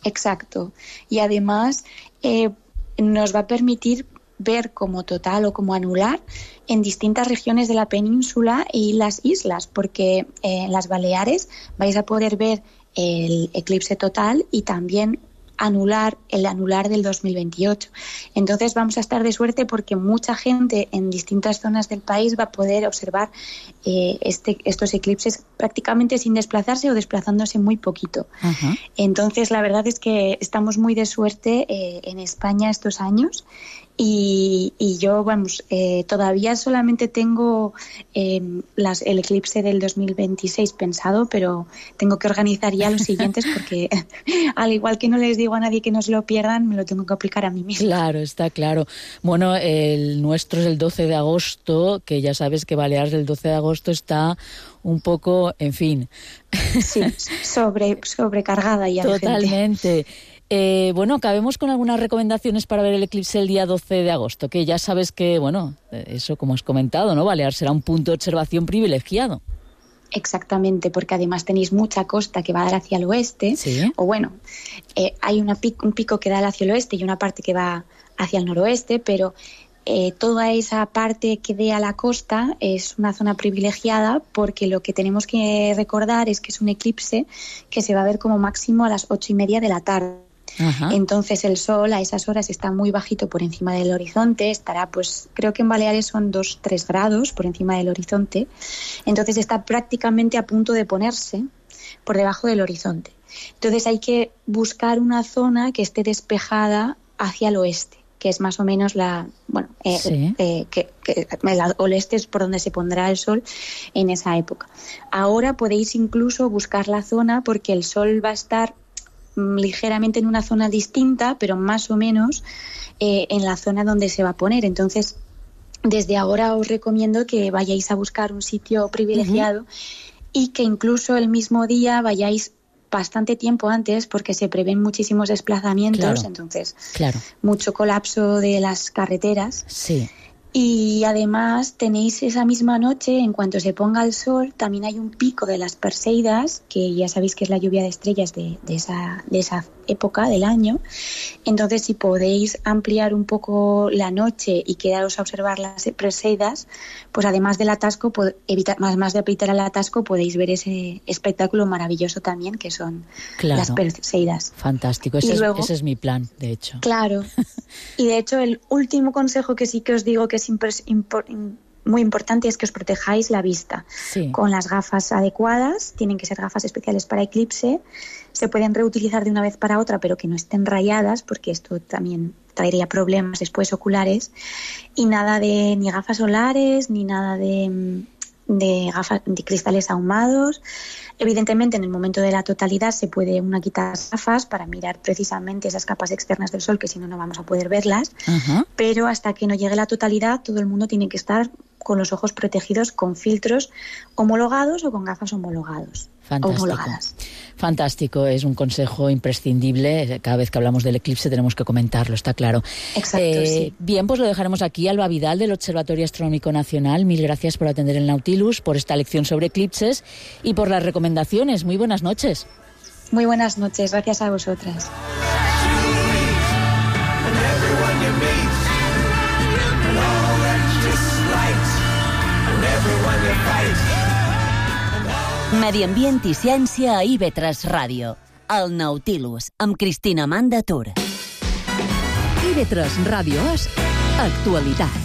Exacto. Y además eh, nos va a permitir ver como total o como anular en distintas regiones de la península y las islas, porque eh, en las Baleares vais a poder ver el eclipse total y también anular el anular del dos mil veintiocho. Entonces vamos a estar de suerte porque mucha gente en distintas zonas del país va a poder observar eh, este, estos eclipses prácticamente sin desplazarse o desplazándose muy poquito. Ajá. Entonces la verdad es que estamos muy de suerte eh, en España estos años. Y, y yo, vamos, eh, todavía solamente tengo eh, las, el eclipse del dos mil veintiséis pensado, pero tengo que organizar ya los siguientes porque al igual que no les digo a nadie que no se lo pierdan, me lo tengo que aplicar a mí misma. Claro, está claro. Bueno, el nuestro es el doce de agosto, que ya sabes que Baleares el doce de agosto está un poco, en fin. Sí, sobre, sobrecargada ya. Totalmente. Eh, bueno, acabemos con algunas recomendaciones para ver el eclipse el día doce de agosto, que ya sabes que, bueno, eso como has comentado, ¿no? Baleares será un punto de observación privilegiado. Exactamente, porque además tenéis mucha costa que va a dar hacia el oeste, ¿sí? O bueno, eh, hay una pico, un pico que da hacia el oeste y una parte que va hacia el noroeste, pero eh, toda esa parte que dé a la costa es una zona privilegiada porque lo que tenemos que recordar es que es un eclipse que se va a ver como máximo a las ocho y media de la tarde. Ajá. Entonces el sol a esas horas está muy bajito por encima del horizonte, estará pues creo que en Baleares son dos tres grados por encima del horizonte, entonces está prácticamente a punto de ponerse por debajo del horizonte. Entonces hay que buscar una zona que esté despejada hacia el oeste, que es más o menos la, bueno, eh, sí. eh, que, que el oeste es por donde se pondrá el sol en esa época. Ahora podéis incluso buscar la zona porque el sol va a estar ligeramente en una zona distinta, pero más o menos eh, en la zona donde se va a poner. Entonces, desde ahora os recomiendo que vayáis a buscar un sitio privilegiado uh-huh. y que incluso el mismo día vayáis bastante tiempo antes porque se prevén muchísimos desplazamientos, claro. entonces claro. mucho colapso de las carreteras. Sí. Y además tenéis esa misma noche, en cuanto se ponga el sol, también hay un pico de las Perseidas, que ya sabéis que es la lluvia de estrellas de, de, esa, de esa época del año. Entonces, si podéis ampliar un poco la noche y quedaros a observar las Perseidas, pues además del atasco, evitar, más, más de evitar el atasco, podéis ver ese espectáculo maravilloso también, que son claro. las Perseidas. Fantástico, ese, luego, es, ese es mi plan, de hecho. Claro, y de hecho el último consejo que sí que os digo que es Impor, impor, muy importante es que os protejáis la vista sí. con las gafas adecuadas. Tienen que ser gafas especiales para eclipse, se pueden reutilizar de una vez para otra pero que no estén rayadas porque esto también traería problemas después oculares, y nada de ni gafas solares ni nada de, de gafas de cristales ahumados. Evidentemente, en el momento de la totalidad se puede una quitar las gafas para mirar precisamente esas capas externas del sol, que si no, no vamos a poder verlas. Uh-huh. Pero hasta que no llegue la totalidad, todo el mundo tiene que estar con los ojos protegidos con filtros homologados o con gafas homologados. Fantástico. homologadas. Fantástico, es un consejo imprescindible. Cada vez que hablamos del eclipse tenemos que comentarlo, está claro. Exacto, eh, sí. Bien, pues lo dejaremos aquí. Alba Vidal, del Observatorio Astronómico Nacional. Mil gracias por atender el Nautilus, por esta lección sobre eclipses y por las recomendaciones. Muy buenas noches. Muy buenas noches, gracias a vosotras. Medi ambient i ciència a I V tres Ràdio. El Nautilus, amb Cristina Manda Tur. I V tres Ràdio és actualitat.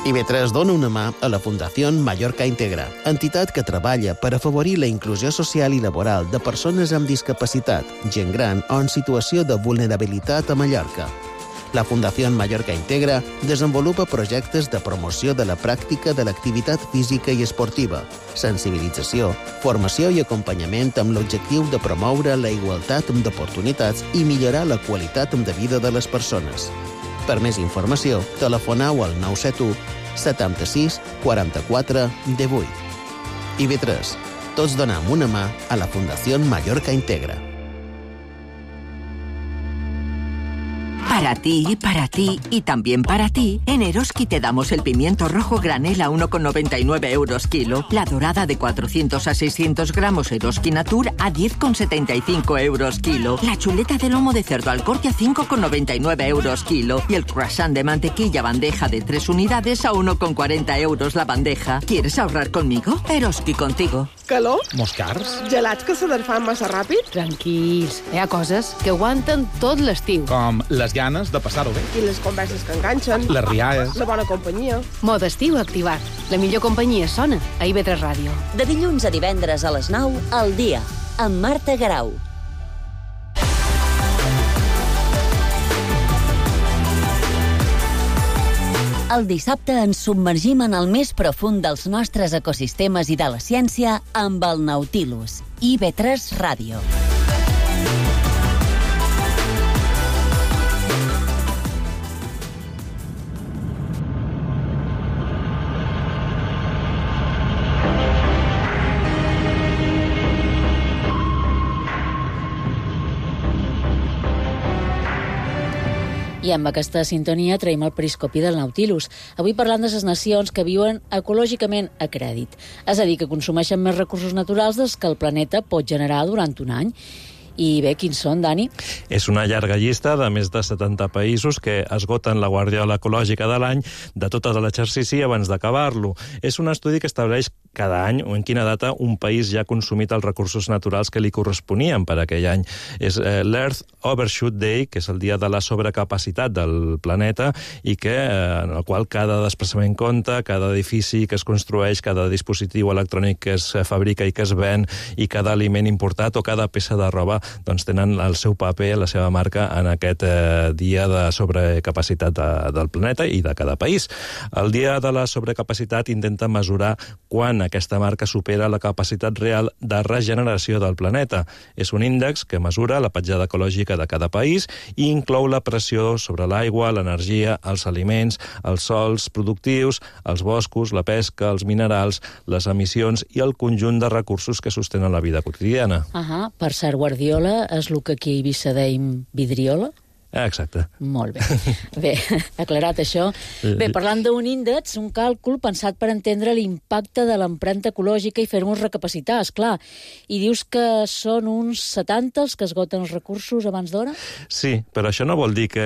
I V tres dona una mà a la Fundació Mallorca Integra, entitat que treballa per afavorir la inclusió social i laboral de persones amb discapacitat, gent gran o en situació de vulnerabilitat a Mallorca. La Fundació Mallorca Integra desenvolupa projectes de promoció de la pràctica de l'activitat física i esportiva, sensibilització, formació i acompanyament amb l'objectiu de promoure la igualtat d'oportunitats i millorar la qualitat de vida de les persones. Per més informació, telefoneu al nou set u setanta-sis quaranta-quatre divuit. I V tres. Tots donem una mà a la Fundació Mallorca Integra. Para ti, para ti y también para ti, en Eroski te damos el pimiento rojo granel a uno con noventa y nueve euros kilo, la dorada de cuatrocientos a seiscientos gramos Eroski Natur a diez con setenta y cinco euros kilo, la chuleta de lomo de cerdo al corte a cinco con noventa y nueve euros kilo y el croissant de mantequilla bandeja de tres unidades a uno con cuarenta euros la bandeja. ¿Quieres ahorrar conmigo? Eroski contigo. Calor? Moscars? Gelats que se desfan massa ràpid? Tranquils, hi ha coses que aguanten tot l'estiu. Com les ganes de passar-ho bé. I les converses que enganxen. Les rialles. La bona companyia. Mode estiu activat. La millor companyia sona a I V tres Ràdio. De dilluns a divendres a les nou, al dia, amb Marta Garau. El dissabte ens submergim en el més profund dels nostres ecosistemes i de la ciència amb el Nautilus, I V tres Ràdio. I amb aquesta sintonia traiem el periscopi del Nautilus. Avui parlant de les nacions que viuen ecològicament a crèdit. És a dir, que consumeixen més recursos naturals dels que el planeta pot generar durant un any. I bé, quins són, Dani? És una llarga llista de més de setanta països que esgoten la guardiola ecològica de l'any de tot l'exercici abans d'acabar-lo. És un estudi que estableix cada any o en quina data un país ja ha consumit els recursos naturals que li corresponien per aquell any. És eh, l'Earth Overshoot Day, que és el dia de la sobrecapacitat del planeta i que, eh, en el qual cada desplaçament compta, cada edifici que es construeix, cada dispositiu electrònic que es fabrica i que es ven i cada aliment importat o cada peça de roba doncs tenen el seu paper, la seva marca en aquest eh, dia de sobrecapacitat de, del planeta i de cada país. El dia de la sobrecapacitat intenta mesurar quan aquesta marca supera la capacitat real de regeneració del planeta. És un índex que mesura la petjada ecològica de cada país i inclou la pressió sobre l'aigua, l'energia, els aliments, els sòls productius, els boscos, la pesca, els minerals, les emissions i el conjunt de recursos que sostenen la vida quotidiana. Ahà, per ser Guardiola és el que aquí a Eivissa deim vidriola? Exacte. Molt bé. Bé, aclarat això. Bé, parlant d'un índex, un càlcul pensat per entendre l'impacte de l'empremta ecològica i fer-nos recapacitar, esclar. I dius que són uns setanta els que esgoten els recursos abans d'hora? Sí, però això no vol dir que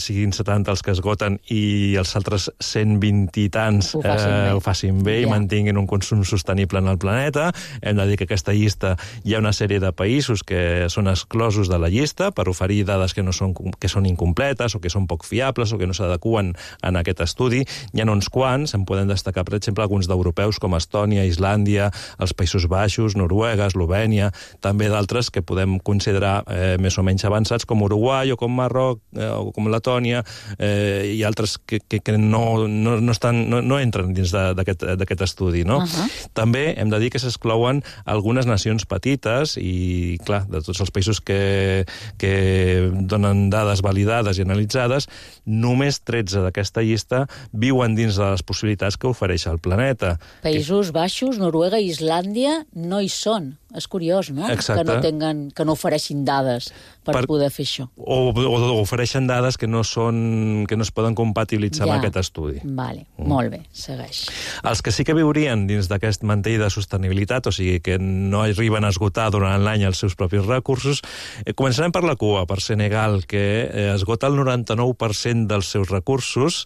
siguin setanta els que esgoten i els altres cent vint i tants ho facin bé, eh, ho facin bé ja. I mantinguin un consum sostenible en el planeta. Hem de dir que aquesta llista hi ha una sèrie de països que són exclosos de la llista per oferir dades que no són que són incompletes o que són poc fiables o que no s'adeqüen en aquest estudi. Hi ha uns quants, en podem destacar, per exemple, alguns d'europeus com Estònia, Islàndia, els Països Baixos, Noruega, Eslovènia, també d'altres que podem considerar eh, més o menys avançats com Uruguai o com Marroc eh, o com Letònia eh, i altres que, que, que no, no, no, estan, no, no entren dins d'aquest estudi. No? Uh-huh. També hem de dir que s'exclouen algunes nacions petites i, clar, de tots els països que, que donen dades validades i analitzades, només tretze d'aquesta llista viuen dins de les possibilitats que ofereix el planeta. Països Baixos, Noruega i Islàndia no hi són. És curiós, no? Exacte. Que no, tinguen, que no ofereixin dades per, per poder fer això. O, o, o ofereixen dades que no, són, que no es poden compatibilitzar ja. amb aquest estudi. Vale, mm. molt bé, segueix. Els que sí que viurien dins d'aquest mantell de sostenibilitat, o sigui, que no arriben a esgotar durant l'any els seus propis recursos, eh, començarem per la cua, per Senegal, que eh, esgota el noranta-nou per cent dels seus recursos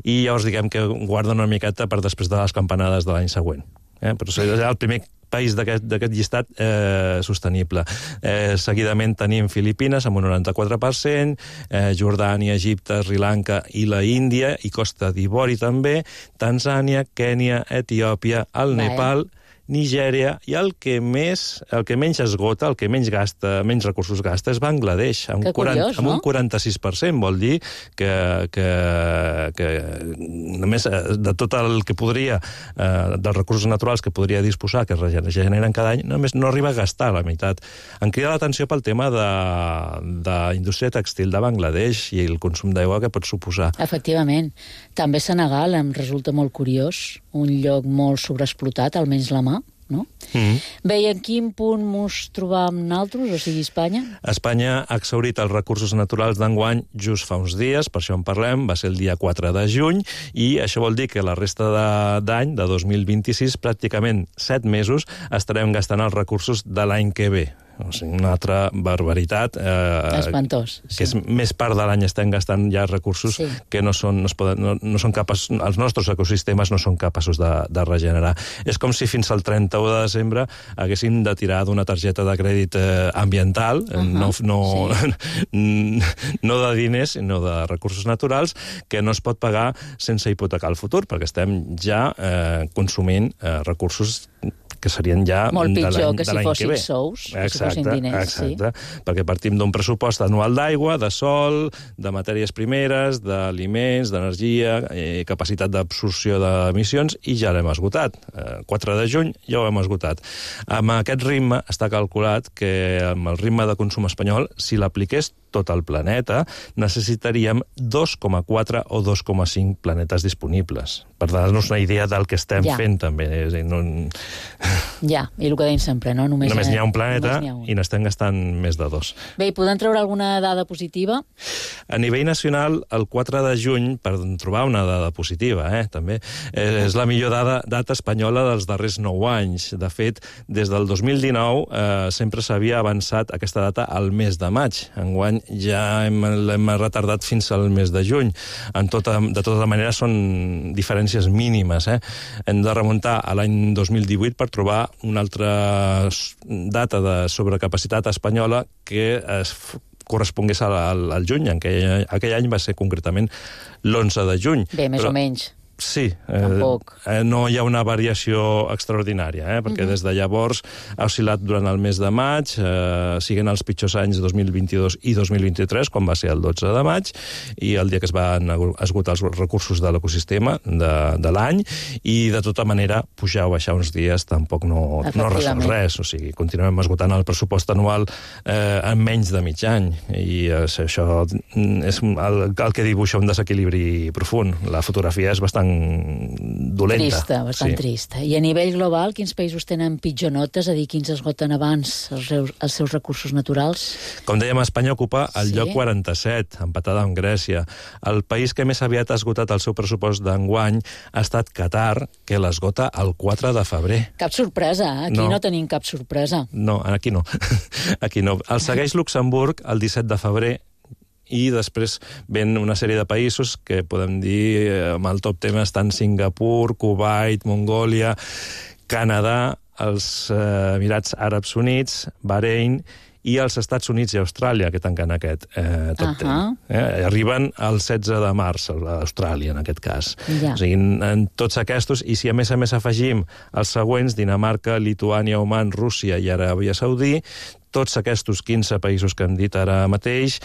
i llavors diguem que guarda una miqueta per després de les campanades de l'any següent. Eh? Però és el primer país d'aquest llistat eh, sostenible. Eh, seguidament tenim Filipines amb un noranta-quatre per cent, eh, Jordània, Egipte, Sri Lanka i la Índia, i Costa d'Ivori també, Tanzània, Kènia, Etiòpia, el Vaja. Nepal, Nigèria, i el que més, el que menys esgota, el que menys gasta, menys recursos gasta, és Bangladesh, amb, que curiós, quaranta, amb no? un quaranta-sis per cent, vol dir que, que, que només de tot el que podria, eh, dels recursos naturals que podria disposar, que es regeneren cada any, només no arriba a gastar la meitat. Em crida l'atenció pel tema de, de la indústria textil de Bangladesh i el consum d'aigua que pot suposar. Efectivament. També Senegal em resulta molt curiós, un lloc molt sobreexplotat, almenys la mà, no? Mm-hmm. Bé, i en quin punt mos trobam nosaltres, o sigui, Espanya? Espanya ha exhaurit els recursos naturals d'enguany just fa uns dies, per això en parlem, va ser el dia quatre de juny, i això vol dir que la resta d'any, de, de dos mil vint-i-sis, pràcticament set mesos, estarem gastant els recursos de l'any que ve. O sigui, una altra barbaritat. Eh, Espantós. Sí. Que és més part de l'any estem gastant ja recursos sí. que no són, no, es poden, no, no són capaços, els nostres ecosistemes no són capaços de, de regenerar. És com si fins al trenta-u de desembre haguéssim de tirar d'una targeta de crèdit eh, ambiental, uh-huh. no, no, sí. no de diners, sinó de recursos naturals, que no es pot pagar sense hipotecar el futur, perquè estem ja eh, consumint eh, recursos que serien ja molt pitjor que si fossin sous, que si fossin diners. Exacte, sí. Perquè partim d'un pressupost anual d'aigua, de sol, de matèries primeres, d'aliments, d'energia, eh, capacitat d'absorció d'emissions, i ja l'hem esgotat. Eh, quatre de juny ja ho hem esgotat. Amb aquest ritme està calculat que amb el ritme de consum espanyol, si l'apliqués tot el planeta, necessitaríem dos coma quatre o dos coma cinc planetes disponibles. Per donar-nos una idea del que estem ja. fent, també. És a dir, no... Ja, i el que deim sempre, no? Només, només n'hi ha un planeta ha un. I n'estem gastant més de dos. Bé, i podem treure alguna dada positiva? A nivell nacional, el quatre de juny, per trobar una dada positiva, eh, també, eh, és la millor dada, data espanyola dels darrers nou anys. De fet, des del dos mil dinou eh, sempre s'havia avançat aquesta data al mes de maig. Enguany ja hem, l'hem retardat fins al mes de juny. En tota, de tota manera, són diferències mínimes. Eh? Hem de remuntar a l'any dos mil divuit per trobar una altra data de sobrecapacitat espanyola que es correspongués al, al juny. Aquell, aquell any va ser concretament l'onze de juny. Bé, més Però... o menys. Sí, eh, no hi ha una variació extraordinària, eh, perquè uh-huh. des de llavors ha oscil·lat durant el mes de maig, eh, siguen els pitjors anys dos mil vint-i-dos i dos mil vint-i-tres, quan va ser el dotze de maig, i el dia que es van esgotar els recursos de l'ecosistema de, de l'any, i de tota manera pujar o baixar uns dies tampoc no, no resol res, o sigui, continuem esgotant el pressupost anual eh, en menys de mig any, i eh, això és el, el que dibuixa un desequilibri profund. La fotografia és bastant dolenta. Trista, bastant sí. trista. I a nivell global, quins països tenen pitjor notes, a dir, quins esgoten abans els seus, els seus recursos naturals? Com dèiem, Espanya ocupa el sí. lloc quaranta-set, empatada amb Grècia. El país que més aviat ha esgotat el seu pressupost d'enguany ha estat Qatar, que l'esgota el quatre de febrer. Cap sorpresa, eh? Aquí no. no tenim cap sorpresa. No, aquí no. Aquí no. El segueix Luxemburg el disset de febrer, i després ven una sèrie de països que podem dir, amb el top tema estan Singapur, Kuwait, Mongòlia, Canadà, els eh, Emirats Àrabs Units, Bahrein i els Estats Units i Austràlia, que tanquen aquest eh, top uh-huh. ten. Eh? Arriben el setze de març, a Austràlia, en aquest cas. Ja. O sigui, en, en tots aquests, i si a més a més afegim els següents, Dinamarca, Lituània, Oman, Rússia i Aràbia Saudí, tots aquests quinze països que hem dit ara mateix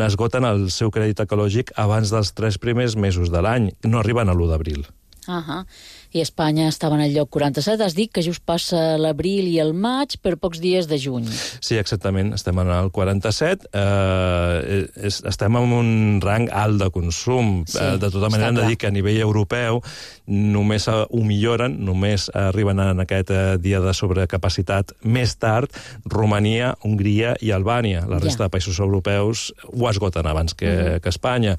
esgoten el seu crèdit ecològic abans dels tres primers mesos de l'any. No arriben a l'u d'abril. Ahà. I Espanya estava en el lloc quaranta-set. Has dit que just passa l'abril i el maig per pocs dies de juny. Sí, exactament. Estem en el quaranta-set. Eh, estem en un rang alt de consum. Sí, eh, de tota manera, hem de dir que a nivell europeu només ho milloren, només arriben en aquest dia de sobrecapacitat més tard Romania, Hongria i Albània. La resta ja. de països europeus ho esgoten abans que, uh-huh. que Espanya.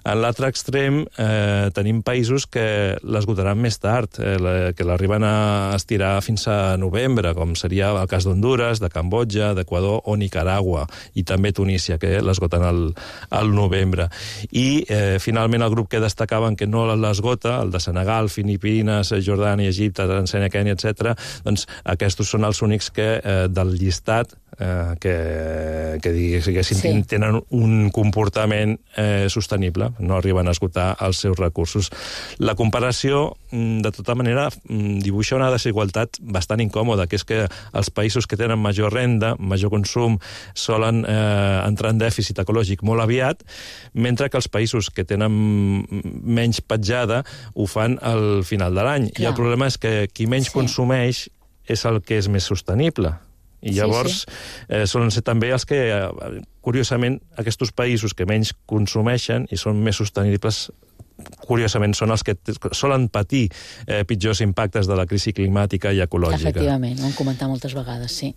En l'altre extrem eh, tenim països que l'esgotaran més tard, que l'arriben a estirar fins a novembre, com seria el cas d'Honduras, de Cambodja, d'Equador o Nicaragua, i també Tunísia, que l'esgoten al, al novembre. I, eh, finalment, el grup que destacaven que no l'esgota, el de Senegal, Filipines, Jordània, Egipte, Tanzània, Kènia, etcètera, doncs aquests són els únics que, eh, del llistat, eh, que, que diguéssim, sí. tenen un comportament eh, sostenible, no arriben a esgotar els seus recursos. La comparació, de tota manera, dibuixa una desigualtat bastant incòmoda, que és que els països que tenen major renda, major consum, solen eh, entrar en dèficit ecològic molt aviat, mentre que els països que tenen menys petjada ho fan al final de l'any. I el problema és que qui menys sí. consumeix és el que és més sostenible. I llavors sí, sí. Eh, solen ser també els que, eh, curiosament, aquests països que menys consumeixen i són més sostenibles, curiosament, són els que solen patir eh, pitjors impactes de la crisi climàtica i ecològica. Efectivament, ho hem comentat moltes vegades, sí.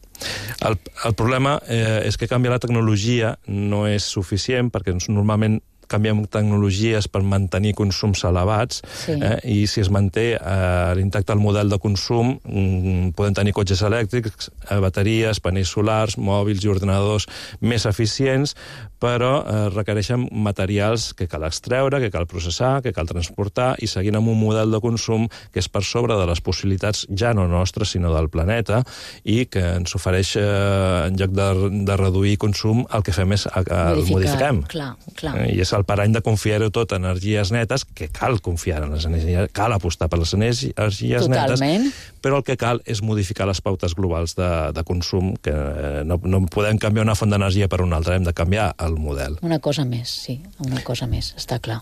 El, el problema eh, és que canviar la tecnologia no és suficient, perquè normalment canviem tecnologies per mantenir consums elevats, sí. eh, i si es manté eh, l'intacte del model de consum, mm, podem tenir cotxes elèctrics, eh, bateries, panells solars, mòbils i ordenadors més eficients, però eh, requereixen materials que cal extreure, que cal processar, que cal transportar, i seguint amb un model de consum que és per sobre de les possibilitats ja no nostres, sinó del planeta, i que ens ofereix, eh, en lloc de, de reduir consum, el que fem és a, a, el modifiquem. Clar, clar. Eh, I és el parany de confiar-ho tot en energies netes, que cal confiar en les energies, cal apostar per les energies Totalment. netes, però el que cal és modificar les pautes globals de, de consum, que no, no podem canviar una font d'energia per una altra, hem de canviar el model. Una cosa més, sí, una cosa més, està clar.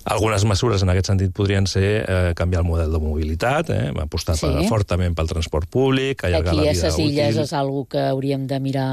Algunes mesures en aquest sentit podrien ser eh, canviar el model de mobilitat, eh, apostar sí. per, fortament pel transport públic, allargar Aquí la vida útil. Aquí a ses illes és una que hauríem de mirar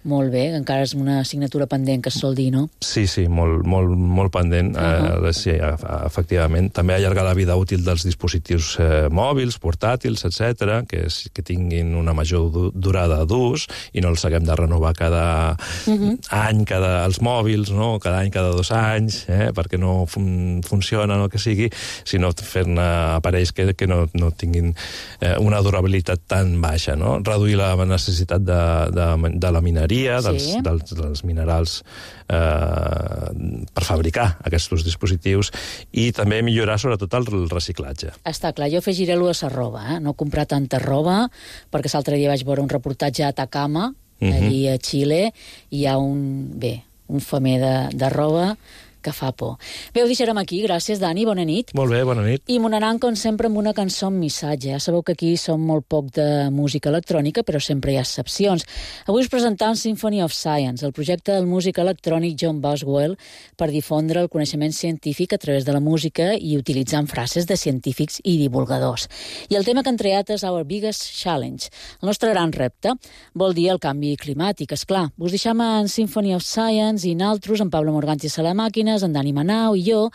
molt bé, encara és una assignatura pendent que es sol dir, no? Sí, sí, molt, molt, molt pendent, uh-huh. eh, sí, efectivament. També allargar la vida útil dels dispositius eh, mòbils, portàtils, etcètera, que, que tinguin una major du durada d'ús i no els haguem de renovar cada uh-huh. any, cada, els mòbils, no? Cada any, cada dos anys, eh, perquè no fun funcionen o el que sigui, sinó fer-ne aparells que, que no, no tinguin eh, una durabilitat tan baixa, no? Reduir la necessitat de, de, de la mineria, Dels, sí. dels, dels minerals eh, per fabricar aquests dispositius, i també millorar sobretot el reciclatge. Està clar, jo afegiré-lo a la roba, eh? No comprar tanta roba, perquè l'altre dia vaig veure un reportatge a Atacama, uh-huh. allí a Xile, i hi ha un, bé, un femer de, de roba que fa por. Bé, ho deixarem aquí. Gràcies, Dani. Bona nit. Molt bé, bona nit. I m'anant, com sempre, amb una cançó amb missatge. Ja sabeu que aquí som molt poc de música electrònica, però sempre hi ha excepcions. Avui us presentam Symphony of Science, el projecte del músic electrònic John Boswell per difondre el coneixement científic a través de la música i utilitzant frases de científics i divulgadors. I el tema que han triat és Our Biggest Challenge. El nostre gran repte vol dir el canvi climàtic, esclar. Us deixam en Symphony of Science i naltros, en Pablo Morganti a la màquina, en Dani Manau i jo,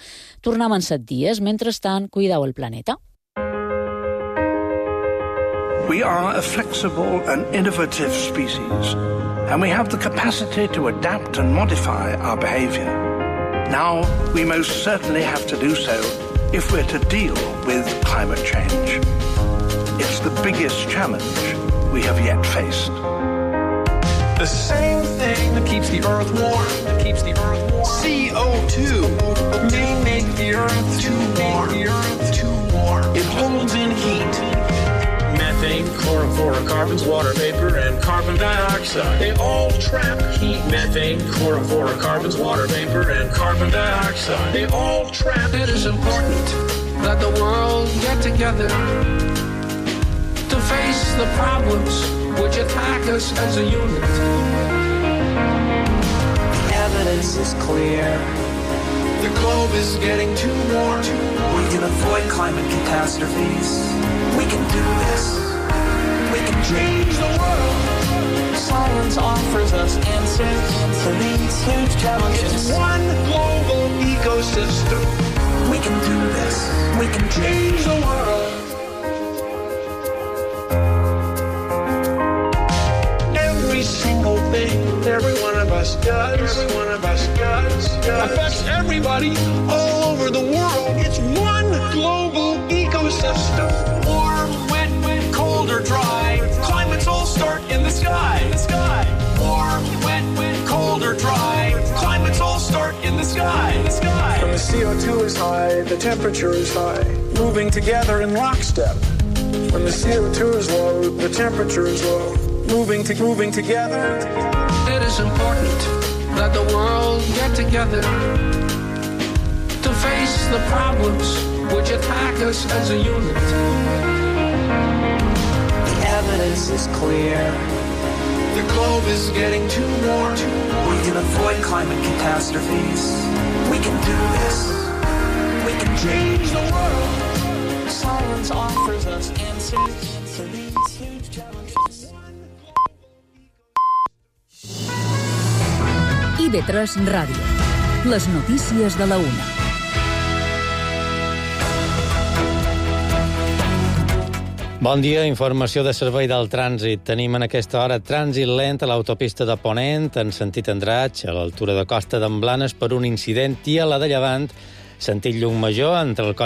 tornem en set dies. Mentrestant, cuideu el planeta. We are a flexible and innovative species, and we have the capacity to adapt and modify our behavior. Now, we most certainly have to do so if we're to deal with climate change. It's the biggest challenge we have yet faced. The same thing that keeps the earth warm, that keeps the earth warm. C O two may make the earth too warm, the earth too warm. It holds in heat. Methane, chlorofluorocarbons, water vapor, and carbon dioxide. They all trap heat. Methane, chlorofluorocarbons, water vapor, and carbon dioxide. They all trap. It is important that the world get together to face the problems which attack us as a unit. The evidence is clear. The The globe is getting too warm. We can avoid climate catastrophes. We can do this. We can Change the world. Science offers us answers to these huge challenges. It's one global ecosystem. We can do this. We can Change the world. Every single thing every one of us does, every one of us does, does affects everybody all over the world. It's one global ecosystem. Warm, wet, wet, cold or dry. Climates all start in the sky. The sky. Warm, wet, wet, cold or dry. Climates all start in the sky. The sky. When the C O two is high, the temperature is high, moving together in lockstep. When the C O two is low, the temperature is low, moving to moving together. It is important that the world get together to face the problems which attack us as a unit. The evidence is clear. The globe is getting too warm. We can avoid climate catastrophes. We can do this. We can Change the world. Science offers us answers to these huge challenges. I V tres Ràdio. Les notícies de la una. Bon dia, informació de servei del trànsit. Tenim en aquesta hora trànsit lent a l'autopista de Ponent, en sentit Andratx, a l'altura de Costa d'en Blanes, per un incident, i a la de Llevant, sentit Llucmajor, entre el